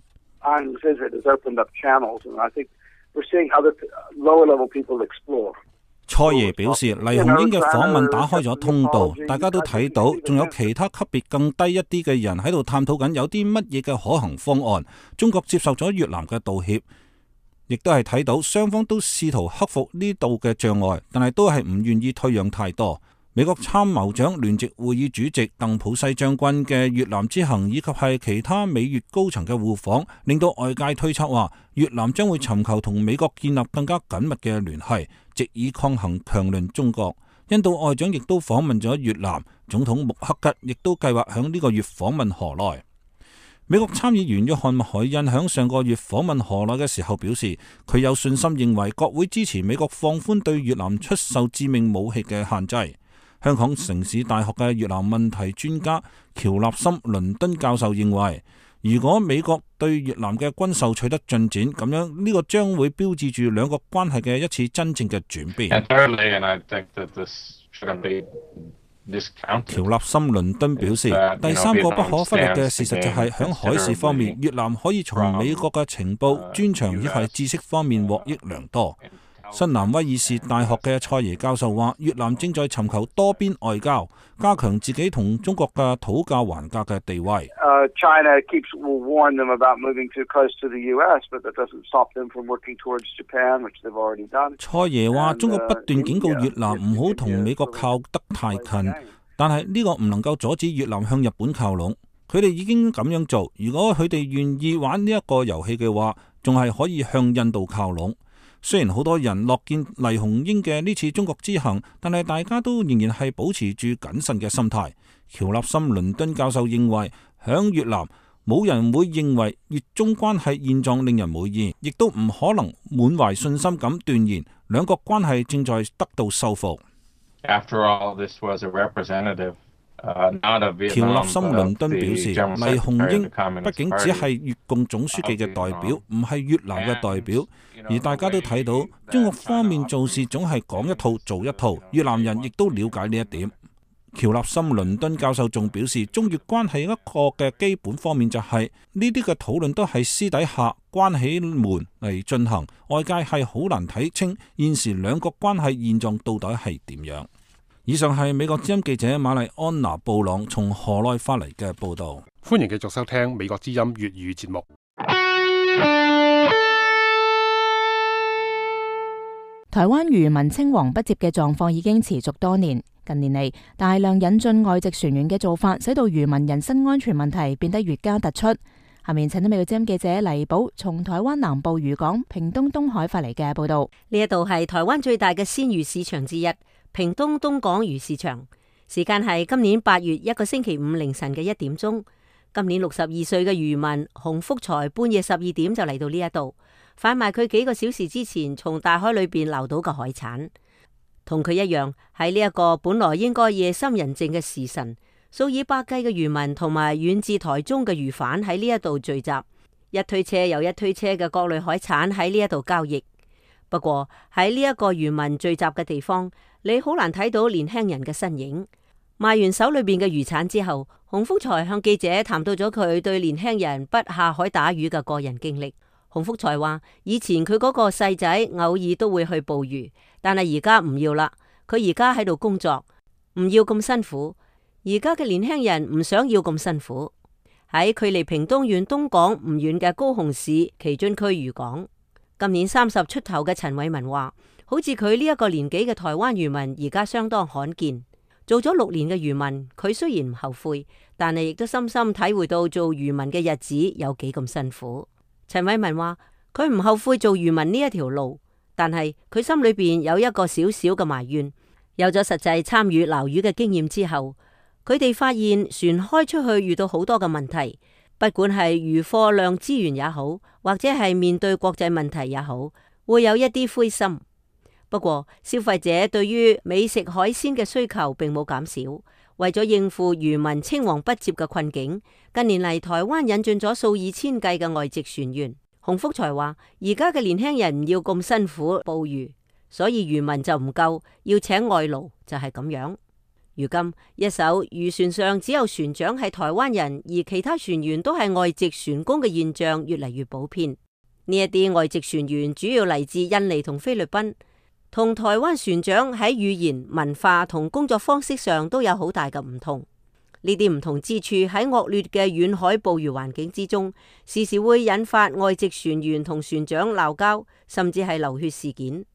塞耶表示，黎鴻英嘅訪問打開咗通道，大家都睇到，仲有其他級別更低一啲嘅人喺度探討緊有啲乜嘢嘅可行方案。中國接受咗越南嘅道歉，亦都係睇到雙方都試圖克服呢度嘅障礙，但係都係唔願意退讓太多。美國參謀長聯席會議主席鄧普西將軍嘅越南之行，以及係其他美越高層嘅互訪，令到外界推測話，越南將會尋求同美國建立更加緊密嘅聯繫，藉以抗衡強鄰中國。印度外長亦都訪問咗越南，總統穆克吉亦都計劃響呢個月訪問河內。美國參議員約翰麥凱恩響上個月訪問河內嘅時候表示，佢有信心認為國會支持美國放寬對越南出售致命武器嘅限制。香港城市大學嘅越南問題專家喬納森倫敦教授認為，如果美國對越南嘅軍售取得進展，咁樣呢個將會標誌住兩國關係嘅一次真正嘅轉變。喬納森倫敦表示，第三個不可忽略嘅事實就係響海事方面，越南可以從美國嘅情報、專長以及知識方面獲益良多。新南威爾士大學嘅蔡耶教授話，越南正在尋求多邊外交，加強自己同中國嘅討價還價嘅地位。Uh, China keeps will warn them about moving too close to the U S, but that doesn't stop them from working towards Japan, which they've already done. 蔡耶話，中國不斷警告越南唔好同美國靠得太近，但係呢個唔能夠阻止越南向日本靠攏。佢哋已經咁樣做，如果佢哋願意玩呢一個遊戲嘅話，仲係可以向印度靠攏。雖然好多人樂見黎雄英嘅呢次中國之行，但係大家都仍然係保持住謹慎嘅心態。喬立森倫敦教授認為，響越南冇人會認為越中關係現狀令人滿意，亦都唔可能滿懷信心咁斷言兩國關係正在得到修復。After all, this was a representative.喬立森倫敦表示，黎雄英畢竟只係越共總書記嘅代表，唔係越南嘅代表。而大家都睇到，中國方面做事總係講一套做一套，越南人亦都了解呢一點。喬立森倫敦教授仲表示，中越關係一個嘅基本方面就係呢啲嘅討論都係私底下關起門嚟進行，外界係好難睇清現時兩國關係現狀到底係點樣。以上係美國之音記者瑪麗安娜布朗從河內發嚟嘅報道。歡迎繼續收聽美國之音粵語節目。台灣漁民青黃不接嘅狀況已經持續多年，近年嚟大量引進外籍船員嘅做法，使到漁民人身安全問題變得越加突出。下面請到美國之音記者黎寶從台灣南部漁港屏東東海發嚟嘅報道。呢一度係台灣最大嘅鮮魚市場之一。屏東東港魚市場，時間係今年八月一個星期五凌晨嘅一點鐘。今年六十二歲嘅漁民洪福財半夜十二點就嚟到呢一度販賣佢幾個小時之前從大海裏邊撈到嘅海產。同佢一樣，喺呢一個本來應該夜深人靜嘅時辰，數以百計嘅漁民同埋遠至台中嘅漁販喺呢一度聚集，一推車又一推車嘅各類海產喺呢一度交易。不過喺呢一個漁民聚集嘅地方，你好難睇到年輕人嘅身影。賣完手裏邊嘅漁產之後，洪福財向記者談到咗佢對年輕人不下海打魚嘅個人經歷。洪福財話，以前佢嗰個細仔偶爾都會去捕魚，但係而家唔要啦。佢而家喺度工作，唔要咁辛苦。而家嘅年輕人唔想要咁辛苦。喺距離屏東縣東港唔遠嘅高雄市旗津區漁港，今年三十出頭嘅陳偉文話，好似佢呢一個年紀嘅台灣漁民而家相當罕見。做咗六年嘅漁民，佢雖然唔後悔，但係亦都深深體會到做漁民嘅日子有幾咁辛苦。陳偉文話，佢唔後悔做漁民呢一條路，但係佢心裏邊有一個小小嘅埋怨。有咗實際參與撈魚嘅經驗之後，佢哋發現船開出去遇到好多嘅問題，不管係漁貨量資源也好，或者係面對國際問題也好，會有一啲灰心。不過消費者對於美食海鮮嘅需求並冇減少，為咗應付漁民青黃不接嘅困境，近年嚟台灣引進咗數以千計嘅外籍船員。洪福財話，而家嘅年輕人唔要咁辛苦捕魚，所以漁民就唔夠，要請外勞就係咁樣。如今一艘漁船上只有船長係台灣人，而其他船員都係外籍船工嘅現象越嚟越普遍。呢一啲外籍船員主要嚟自印尼同菲律賓，同台灣船長喺語言、文化同工作方式上都有好大嘅唔同。呢啲唔同之處喺惡劣嘅遠海捕魚環境之中，時時會引發外籍船員同船長鬧交，甚至係流血事件。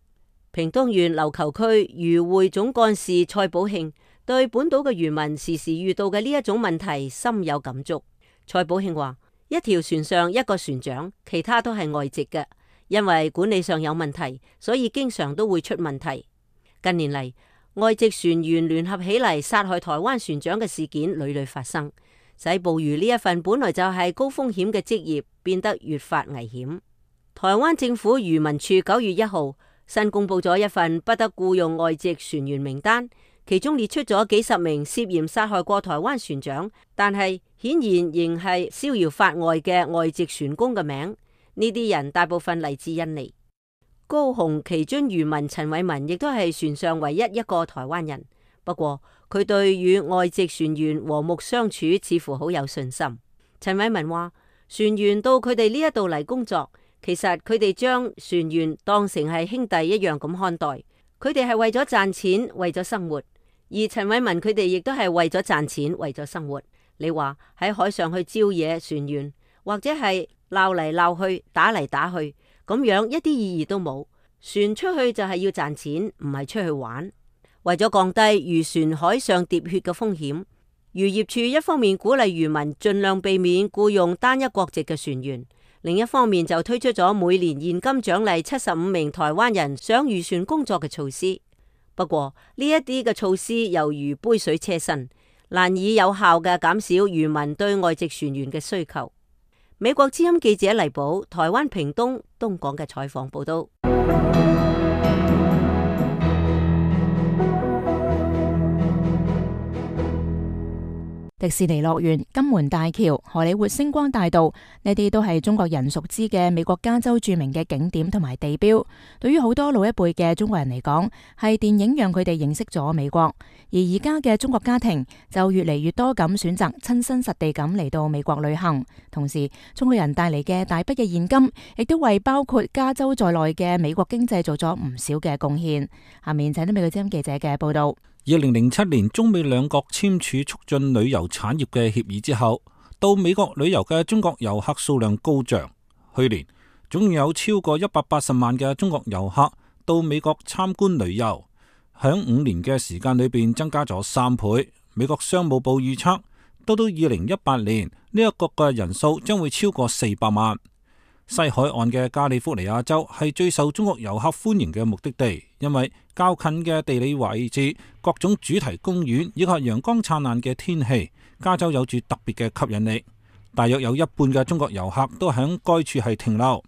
屏東縣琉球區漁會總幹事蔡寶慶對本島嘅漁民時時遇到嘅呢一種問題深有感觸。蔡寶慶話，一條船上一個船長，其他都係外籍嘅，因為管理上有問題，所以經常都會出問題。近年嚟，外籍船員聯合起嚟殺害台灣船長嘅事件屢屢發生，使捕魚呢一份本來就係高風險嘅職業變得越發危險。台灣政府漁民處九月一號新公布咗一份不得僱用外籍船員名單，其中列出咗幾十名涉嫌殺害過台灣船長，但係顯然仍係逍遙法外嘅外籍船工嘅名。呢啲人大部分嚟自印尼。高雄旗津漁民陳偉文亦都係船上唯一一個台灣人，不過佢對與外籍船員和睦相處似乎好有信心。陳偉文話，船員到佢哋呢一度嚟工作，其實佢哋將船員當成係兄弟一樣咁看待，佢哋係為咗賺錢，為咗生活。而陳偉文佢哋亦都係為咗賺錢，為咗生活。你話喺海上去招惹船員，或者係鬧嚟鬧去，打嚟打去，咁樣一啲意義都冇。船出去就係要賺錢，唔係出去玩。為咗降低漁船海上喋血嘅風險，漁業署一方面鼓勵漁民盡量避免僱用單一國籍嘅船員，另一方面就推出咗每年現金獎勵七十五名台灣人上漁船工作嘅措施。不過呢一啲嘅措施猶如杯水車薪，難以有效嘅減少漁民對外籍船員嘅需求。美國之音記者黎寶，台灣屏東東港嘅採訪報道。迪士尼樂園、金門大橋、荷里活星光大道，呢啲都係中國人熟知嘅美國加州著名嘅景點同埋地標。對於好多老一輩嘅中國人嚟講，係電影讓佢哋認識咗美國。而而家嘅中國家庭就越嚟越多咁選擇親身實地咁嚟到美國旅行。同時，中國人帶嚟嘅大筆嘅現金，亦都為包括加州在內嘅美國經濟做咗唔少嘅貢獻。下面請聽美國之音記者嘅報道。二零零七年，中美兩國簽署促進旅遊產業嘅協議之後，到美國旅遊嘅中國遊客數量高漲。去年總有超過一百八十萬嘅中國遊客到美國參觀旅遊，響五年嘅時間裏邊增加咗三倍。美國商務部預測，到到二零一八年呢一個嘅人數將會超過四百萬。西海岸嘅加利福尼亞州係最受中國遊客歡迎嘅目的地，因為較近嘅地理位置、各種主題公園以及陽光燦爛嘅天氣，加州有住特別嘅吸引力。大約有一半嘅中國遊客都喺該處係停留，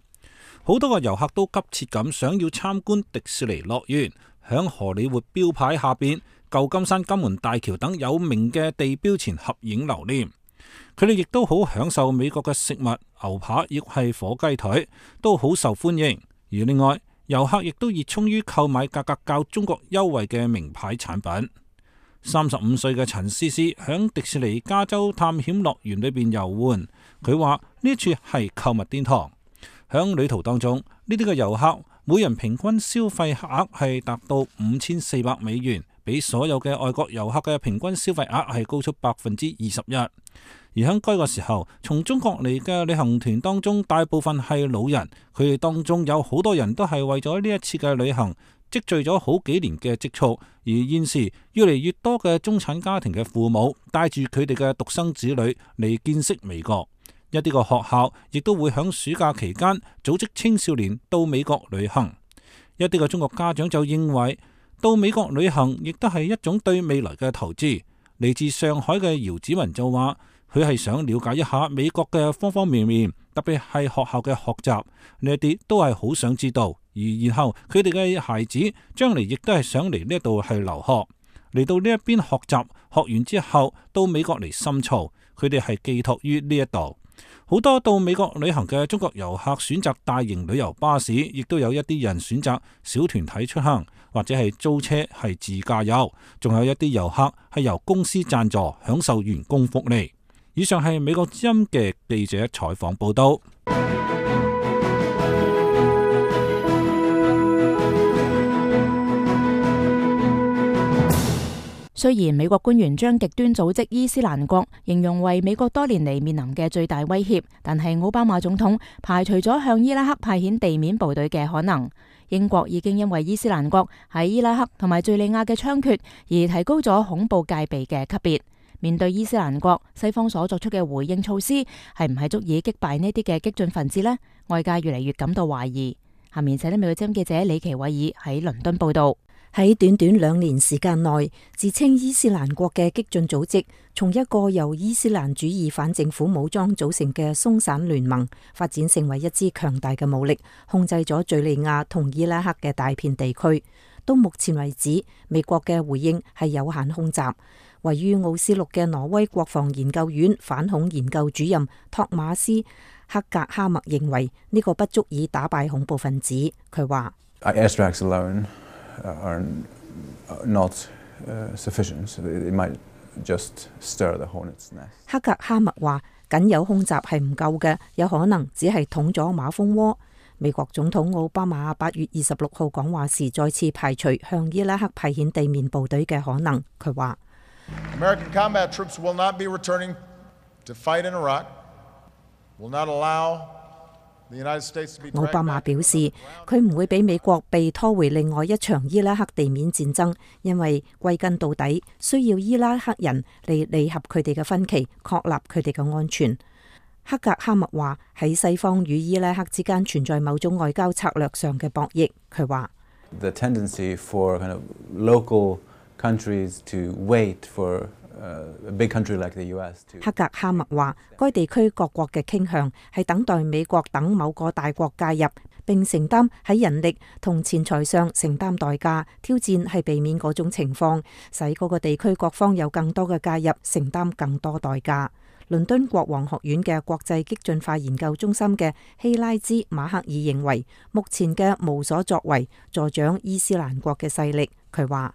好多個遊客都急切咁想要參觀迪士尼樂園，響荷里活標牌下邊、舊金山金門大橋等有名嘅地標前合影留念。佢哋亦都好享受美國嘅食物，牛扒亦係火雞腿都好受歡迎。而另外，遊客亦都熱衷於購買價格較中國優惠嘅名牌產品。三十五歲嘅陳思思響迪士尼加州探險樂園裏邊遊玩，佢話呢處係購物殿堂。響旅途當中，呢啲嘅遊客每人平均消費額係達到五千四百美元，比所有嘅外國遊客嘅平均消費額係高出百分之二十一。而喺該個時候，從中國嚟嘅旅行團當中，大部分係老人，佢哋當中有好多人都係為咗呢一次嘅旅行積聚咗好幾年嘅積蓄。而現時越嚟越多嘅中產家庭嘅父母帶住佢哋嘅獨生子女嚟見識美國，一啲個學校亦都會喺暑假期間組織青少年到美國旅行。一啲嘅中國家長就認為到美國旅行亦都係一種對未來嘅投資。嚟自上海嘅姚子文就話，佢係想了解一下美國嘅方方面面，特別係學校嘅學習，呢一啲都係好想知道。而然後佢哋嘅孩子將嚟亦都係想嚟呢度係留學，嚟到呢一邊學習，學完之後到美國嚟深造，佢哋係寄託於呢一度。好多到美國旅行嘅中國遊客選擇大型旅遊巴士，亦都有一啲人選擇小團體出行，或者係租車係自駕遊，仲有一啲遊客係由公司贊助享受員工福利。以上係美國之音嘅記者採訪報道。雖然美國官員將極端組織伊斯蘭國形容為美國多年嚟面臨嘅最大威脅，但係奧巴馬總統排除咗向伊拉克派遣地面部隊嘅可能。英國已經因為伊斯蘭國喺伊拉克同埋敘利亞嘅猖獗而提高咗恐怖戒備嘅級別。面對伊斯蘭國，西方所作出嘅回應措施係唔係足以擊敗呢啲嘅激進分子呢？外界越嚟越感到懷疑。下面請聽美國之音記者李奇偉爾喺倫敦報道。喺短短兩年時間內，自稱伊斯蘭國嘅激進組織，從一個由伊斯蘭主義反政府武裝組成嘅鬆散聯盟，發展成為一支強大嘅武力，控制咗敘利亞同伊拉克嘅大片地區。到目前為止，美國嘅回應係有限空襲。位於奧斯陸嘅挪威國防研究院反恐研究主任托馬斯克格哈默認為呢個不足以打敗恐怖分子。佢話：Airstrikes alone are not sufficient. It might just stir the hornet's nest. 克格哈默話：僅有空襲係唔夠嘅，有可能只係捅咗馬蜂窩。美國總統奧巴馬八月二十六號講話時再次排除向伊拉克派遣地面部隊嘅可能。佢話：American combat troops will not be returning to fight in Iraq. Will not allow the United States to be. 奧巴馬表示，佢唔會俾美國被拖回另外一場伊拉克地面戰爭，因為歸根到底需要伊拉克人嚟理合佢哋嘅分歧，確立佢哋嘅安全。克格哈默話喺西方與伊拉克之間存在某種外交策略上嘅博弈。佢話 The tendency for kind of local countries to wait for a big country like the U S to。克格哈默話，該地區各國嘅傾向係等待美國等某個大國介入，並承擔喺人力同錢財上承擔代價。挑戰係避免嗰種情況，使嗰個地區各方有更多嘅介入，承擔更多代價。倫敦國王學院嘅國際激進化研究中心嘅希拉茲馬克爾認為，目前嘅無所作為助長伊斯蘭國嘅勢力。佢話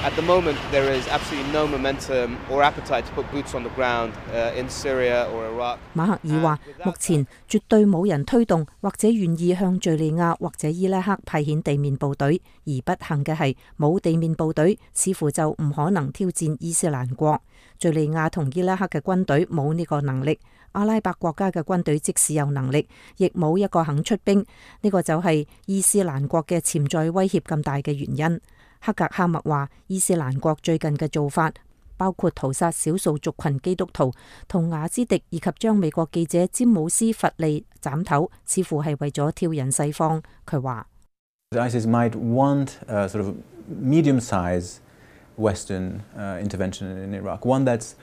：At the moment, there is absolutely no momentum or appetite to put boots on the ground in Syria or Iraq. 馬克爾話：目前絕對冇人推動或者願意向敘利亞或者伊拉克派遣地面部隊，而不幸嘅係冇地面部隊，似乎就唔可能挑戰伊斯蘭國。敘利亞同伊拉克嘅軍隊冇呢個能力，阿拉伯國家嘅軍隊即使有能力，亦冇一個肯出兵。呢個就係伊斯蘭國嘅潛在威脅咁大嘅原因。克格哈默話，伊斯蘭國最近嘅做法包括屠殺少數族群基督徒同雅茲迪，以及將美國記者詹姆斯弗利斬頭，似乎係為咗挑釁西方。佢話 ISIS might want a sort of medium-sized Western intervention in Iraq, one that's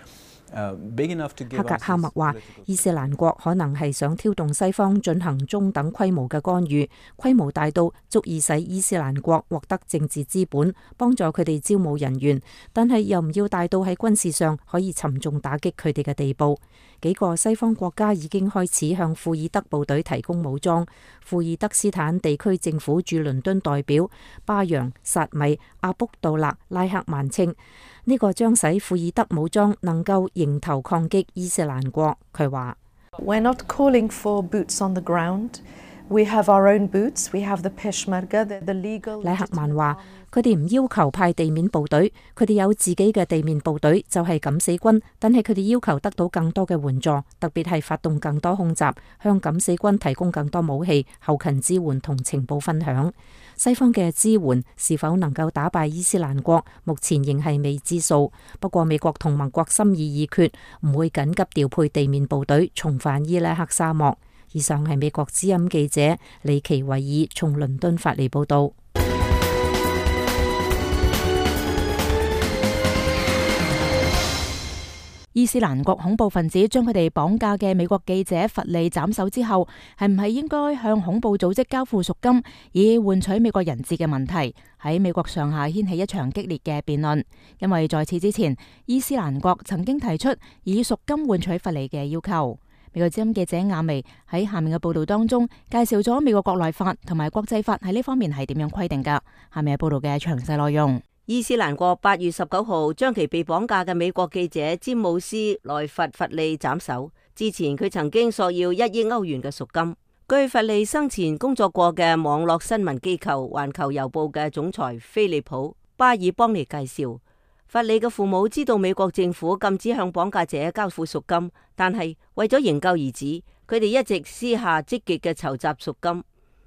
big enough to give. 克格哈默話，伊斯蘭國可能係想挑動西方進行中等規模嘅干預，規模大到足以使伊斯蘭國獲得政治資本，幫助佢哋招募人員，但係又唔要大到喺軍事上可以沉重打擊佢哋嘅地步。幾個西方國家已經開始向庫爾德部隊提供武裝。庫爾德斯坦地區政府駐倫敦代表巴揚薩米阿卜杜勒拉克曼稱，呢個將使庫爾德武裝能夠迎頭抗擊伊斯蘭國。佢話 We're not calling for boots on the ground. We have our own boots. We have the Peshmerga, the, the legal. 拉克曼話：佢哋唔要求派地面部隊，佢哋有自己嘅地面部隊，就係敢死軍。但係佢哋要求得到更多嘅援助，特別係發動更多空襲，向敢死軍提供更多武器、後勤支援同情報分享。西方嘅支援是否能夠打敗伊斯蘭國，目前仍係未知數。不過美國同盟國心意已決，唔會緊急調配地面部隊重返伊拉克沙漠。以上係美國之音記者李奇維爾從倫敦發嚟報道。伊斯蘭國恐怖分子將佢哋綁架嘅美國記者弗利斬首之後，係唔係應該向恐怖組織交付贖金，以換取美國人質嘅問題，喺美國上下掀起一場激烈嘅辯論。因為在此之前，伊斯蘭國曾經提出以贖金換取弗利嘅要求。美國之音記者亞薇喺下面嘅報道當中介紹咗美國國內法同埋國際法喺呢方面係點樣規定噶。下面係報道嘅詳細內容。伊斯蘭國八月十九號將其被綁架嘅美國記者詹姆斯萊弗弗利斬首。之前佢曾經索要一億歐元嘅贖金。據弗利生前工作過嘅網絡新聞機構環球郵報嘅總裁菲利普巴爾邦尼介紹，弗利嘅父母知道美國政府禁止向綁架者交付贖金，但係為咗營救兒子，佢哋一直私下積極嘅籌集贖金。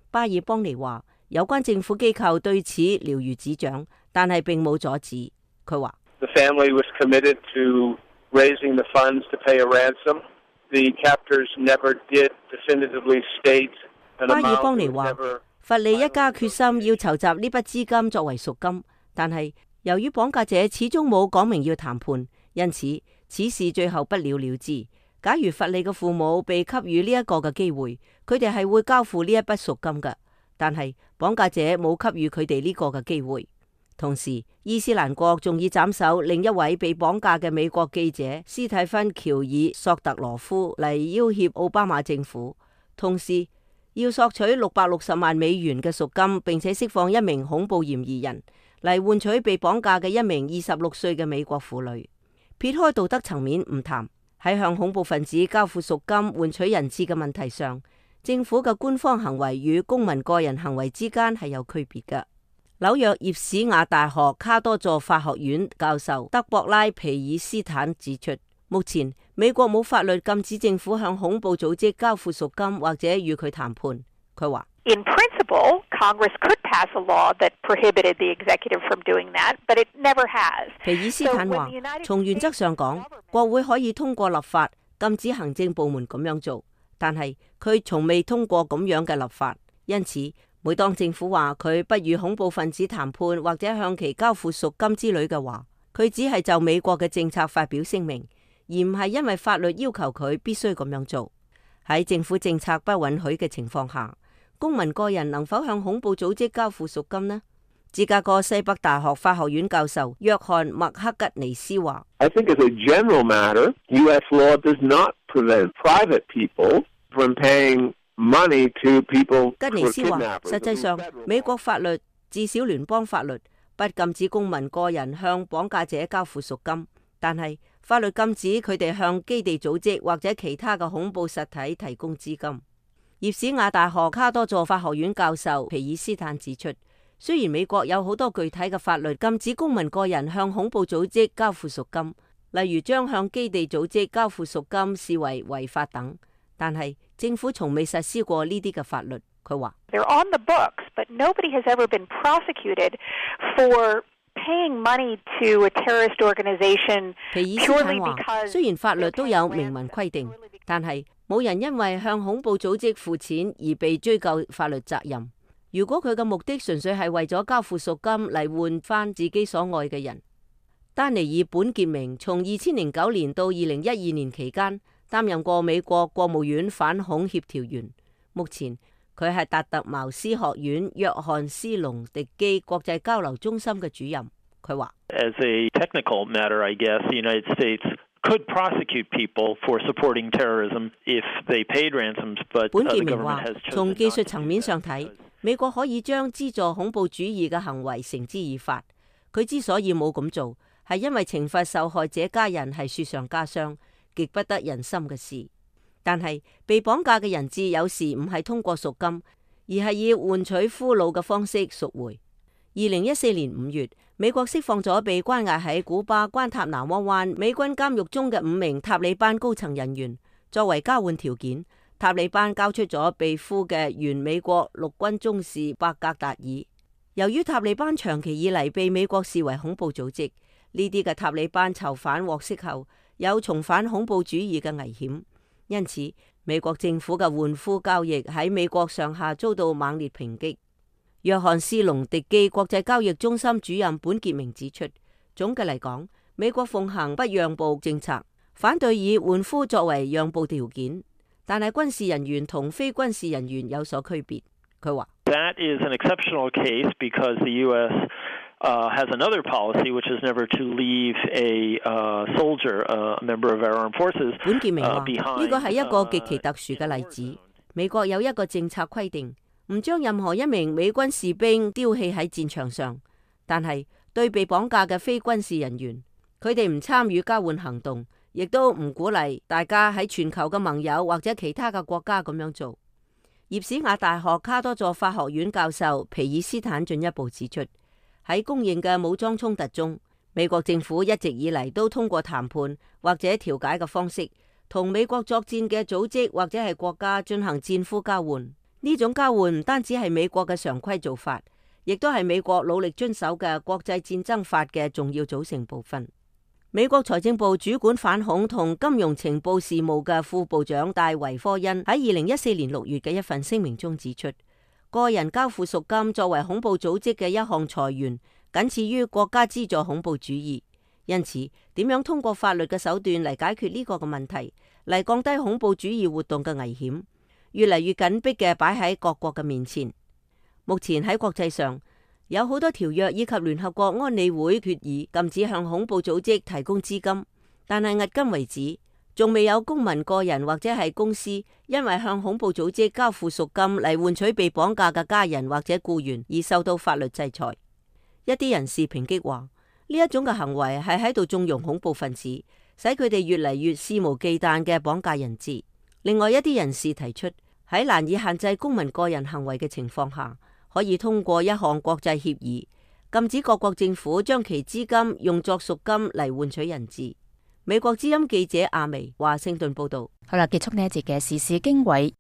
巴爾邦尼話，有關政府機構對此了如指掌，但係並冇阻止。佢話 The family was committed to raising the funds to pay a ransom. The captors never did definitively state an amount. 巴爾邦尼話，弗利一家決心要籌集呢筆資金作為贖金，但係由於綁架者始終冇講明要談判，因此此事最後不了了之。假如弗利嘅父母被給予呢一個嘅機會，佢哋係會交付呢一筆贖金嘅，但係綁架者冇給予佢哋呢個嘅機會。同時，伊斯蘭國仲以斬首另一位被綁架嘅美國記者斯蒂芬喬爾索特羅夫嚟要挾奧巴馬政府，同時要索取六百六十萬美元嘅贖金，並且釋放一名恐怖嫌疑人，嚟換取被綁架嘅一名二十六歲嘅美國婦女。撇開道德層面唔談，喺向恐怖分子交付贖金換取人質嘅問題上，政府嘅官方行為與公民個人行為之間係有區別嘅。紐約葉士亞大學卡多佐法學院教授德博拉皮爾斯坦指出，目前美國冇法律禁止政府向恐怖組織交付贖金或者與佢談判。佢話：In principle, Congress could pass a law that prohibited the executive from doing that, but it never has. 皮爾斯坦話：從原則上講，國會可以通過立法禁止行政部門咁樣做，但係佢從未通過咁樣嘅立法。因此，每當政府話佢不與恐怖分子談判或者向其交付贖金之類嘅話，佢只係就美國嘅政策發表聲明，而唔係因為法律要求佢必須咁樣做。喺政府政策不允許嘅情況下，公民個人能否向恐怖組織交付贖金呢？芝加哥西北大學法學院教授約翰麥克吉尼斯話 I think as a general matter, U S law does not prevent private people from paying money to people 吉尼斯話，實際上美國法律至少聯邦法律不禁止公民個人向綁架者交付贖金，但係法律禁止佢哋向基地組織或者其他嘅恐怖實體提供資金。葉士亞大學卡多佐法學院教授皮爾斯坦指出，雖然美國有好多具體嘅法律禁止公民個人向恐怖組織交付贖金，例如將向基地組織交付贖金視為違法等，但係政府從未實施過呢啲嘅法律。佢話 They're on the books, but nobody has ever been prosecuted for paying money to a terrorist organization purely because 雖然法律都有明文規定，但係冇人因為向恐怖組織付錢而被追究法律責任。如果佢嘅目的純粹係為咗交付贖金嚟換翻自己所愛嘅人，丹尼爾本傑明從二千零九年到二零一二年期間擔任過美國國務院反恐協調員，目前佢係達特茅斯學院約翰斯隆迪基國際交流中心嘅主任。佢話 As a technical matter, I guess the United States could prosecute people for supporting terrorism if they paid ransoms, but the government has chosen. 從技術層面上睇，美國可以將資助恐怖主義嘅行為繩之以法。佢之所以冇咁做，係因為懲罰受害者家人係雪上加霜，極不得人心嘅事。但係被綁架嘅人質有時唔係通過贖金，而係以換取俘虜嘅方式贖回。二零一四年五月，美國釋放咗被關押喺古巴關塔那摩灣美軍監獄中嘅五名塔利班高層人員。作為交換條件，塔利班交出咗被俘嘅原美國陸軍中士伯格達爾。由於塔利班長期以嚟被美國視為恐怖組織，呢啲嘅塔利班囚犯獲釋後有重返恐怖主義嘅危險，因此美國政府嘅換俘交易喺美國上下遭到猛烈抨擊。約翰斯隆迪基國際交易中心主任本傑明指出，總嘅嚟講，美國奉行不讓步政策，反對以換俘作為讓步條件，但係軍事人員同非軍事人員有所區別。佢話 That is an exceptional case because the U S Uh, has another policy, which is never to leave a uh, soldier, a member of our armed forces, uh, 本傑明話：呢個係一個 uh, 極其特殊嘅例子。美國有一個政策規定，唔將任何一名美軍士兵丟棄喺戰場上，但係對被綁架嘅非軍事人員，佢哋唔參與交換行動，亦都唔鼓勵大家喺全球嘅盟友或者其他嘅國家咁樣做。葉士亞大學卡多佐法學院教授皮爾斯坦進一步指出，喺公認嘅武裝衝突中，美國政府一直以嚟都通過談判或者調解嘅方式，同美國作戰嘅組織或者係國家進行戰俘交換。呢種交換唔單止係美國嘅常規做法，亦都係美國努力遵守嘅國際戰爭法嘅重要組成部分。美國財政部主管反恐同金融情報事務嘅副部長戴維科恩喺二零一四年六月嘅一份聲明中指出，個人交付贖金作為恐怖組織嘅一項財源，僅次於國家資助恐怖主義。因此，點樣通過法律嘅手段嚟解決呢個嘅問題，嚟降低恐怖主義活動嘅危險，越嚟越緊迫嘅擺喺各國嘅面前。目前喺國際上有好多條約以及聯合國安理會決議禁止向恐怖組織提供資金，但係迄今為止，仲未有公民個人或者係公司因為向恐怖組織交付贖金嚟換取被綁架嘅家人或者僱員而受到法律制裁。一啲人士抨擊話，呢一種嘅行為係喺度縱容恐怖分子，使佢哋越嚟越肆無忌憚嘅綁架人質。另外一啲人士提出，喺難以限制公民個人行為嘅情況下，可以通過一項國際協議，禁止各國政府將其資金用作贖金嚟換取人質。美國之音記者阿薇華盛頓報道。好啦，結束呢一節嘅時事經緯。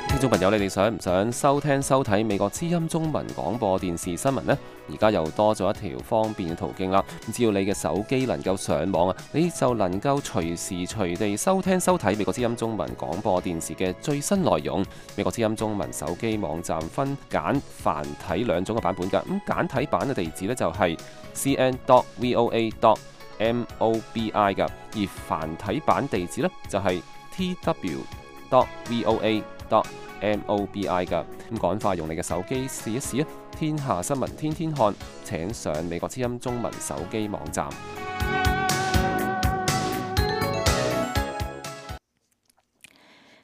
聽眾朋友，你哋想唔想收聽收睇美國之音中文廣播電視新聞呢？而家又多咗一條方便嘅途徑啦。只要你嘅手機能夠上網啊，你就能夠隨時隨地收聽收睇美國之音中文廣播電視嘅最新內容。美國之音中文手機網站分簡繁體兩種嘅版本噶。咁簡體版嘅地址呢，就係 c n dot v o a dot m o b i 噶，而繁體版地址呢，就係 t w dot v o a dot m o b i 噶。咁趕快用你嘅手機試一試啊！天下新聞天天看，請上美國之音中文手機網站。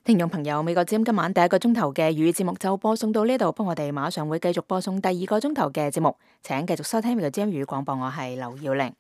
聽眾朋友，美國之音今晚第一個鐘頭嘅粵語節目就播送到呢度，不過我哋馬上會繼續播送第二個鐘頭嘅節目，請繼續收聽美國之音粵語廣播，我係劉耀玲。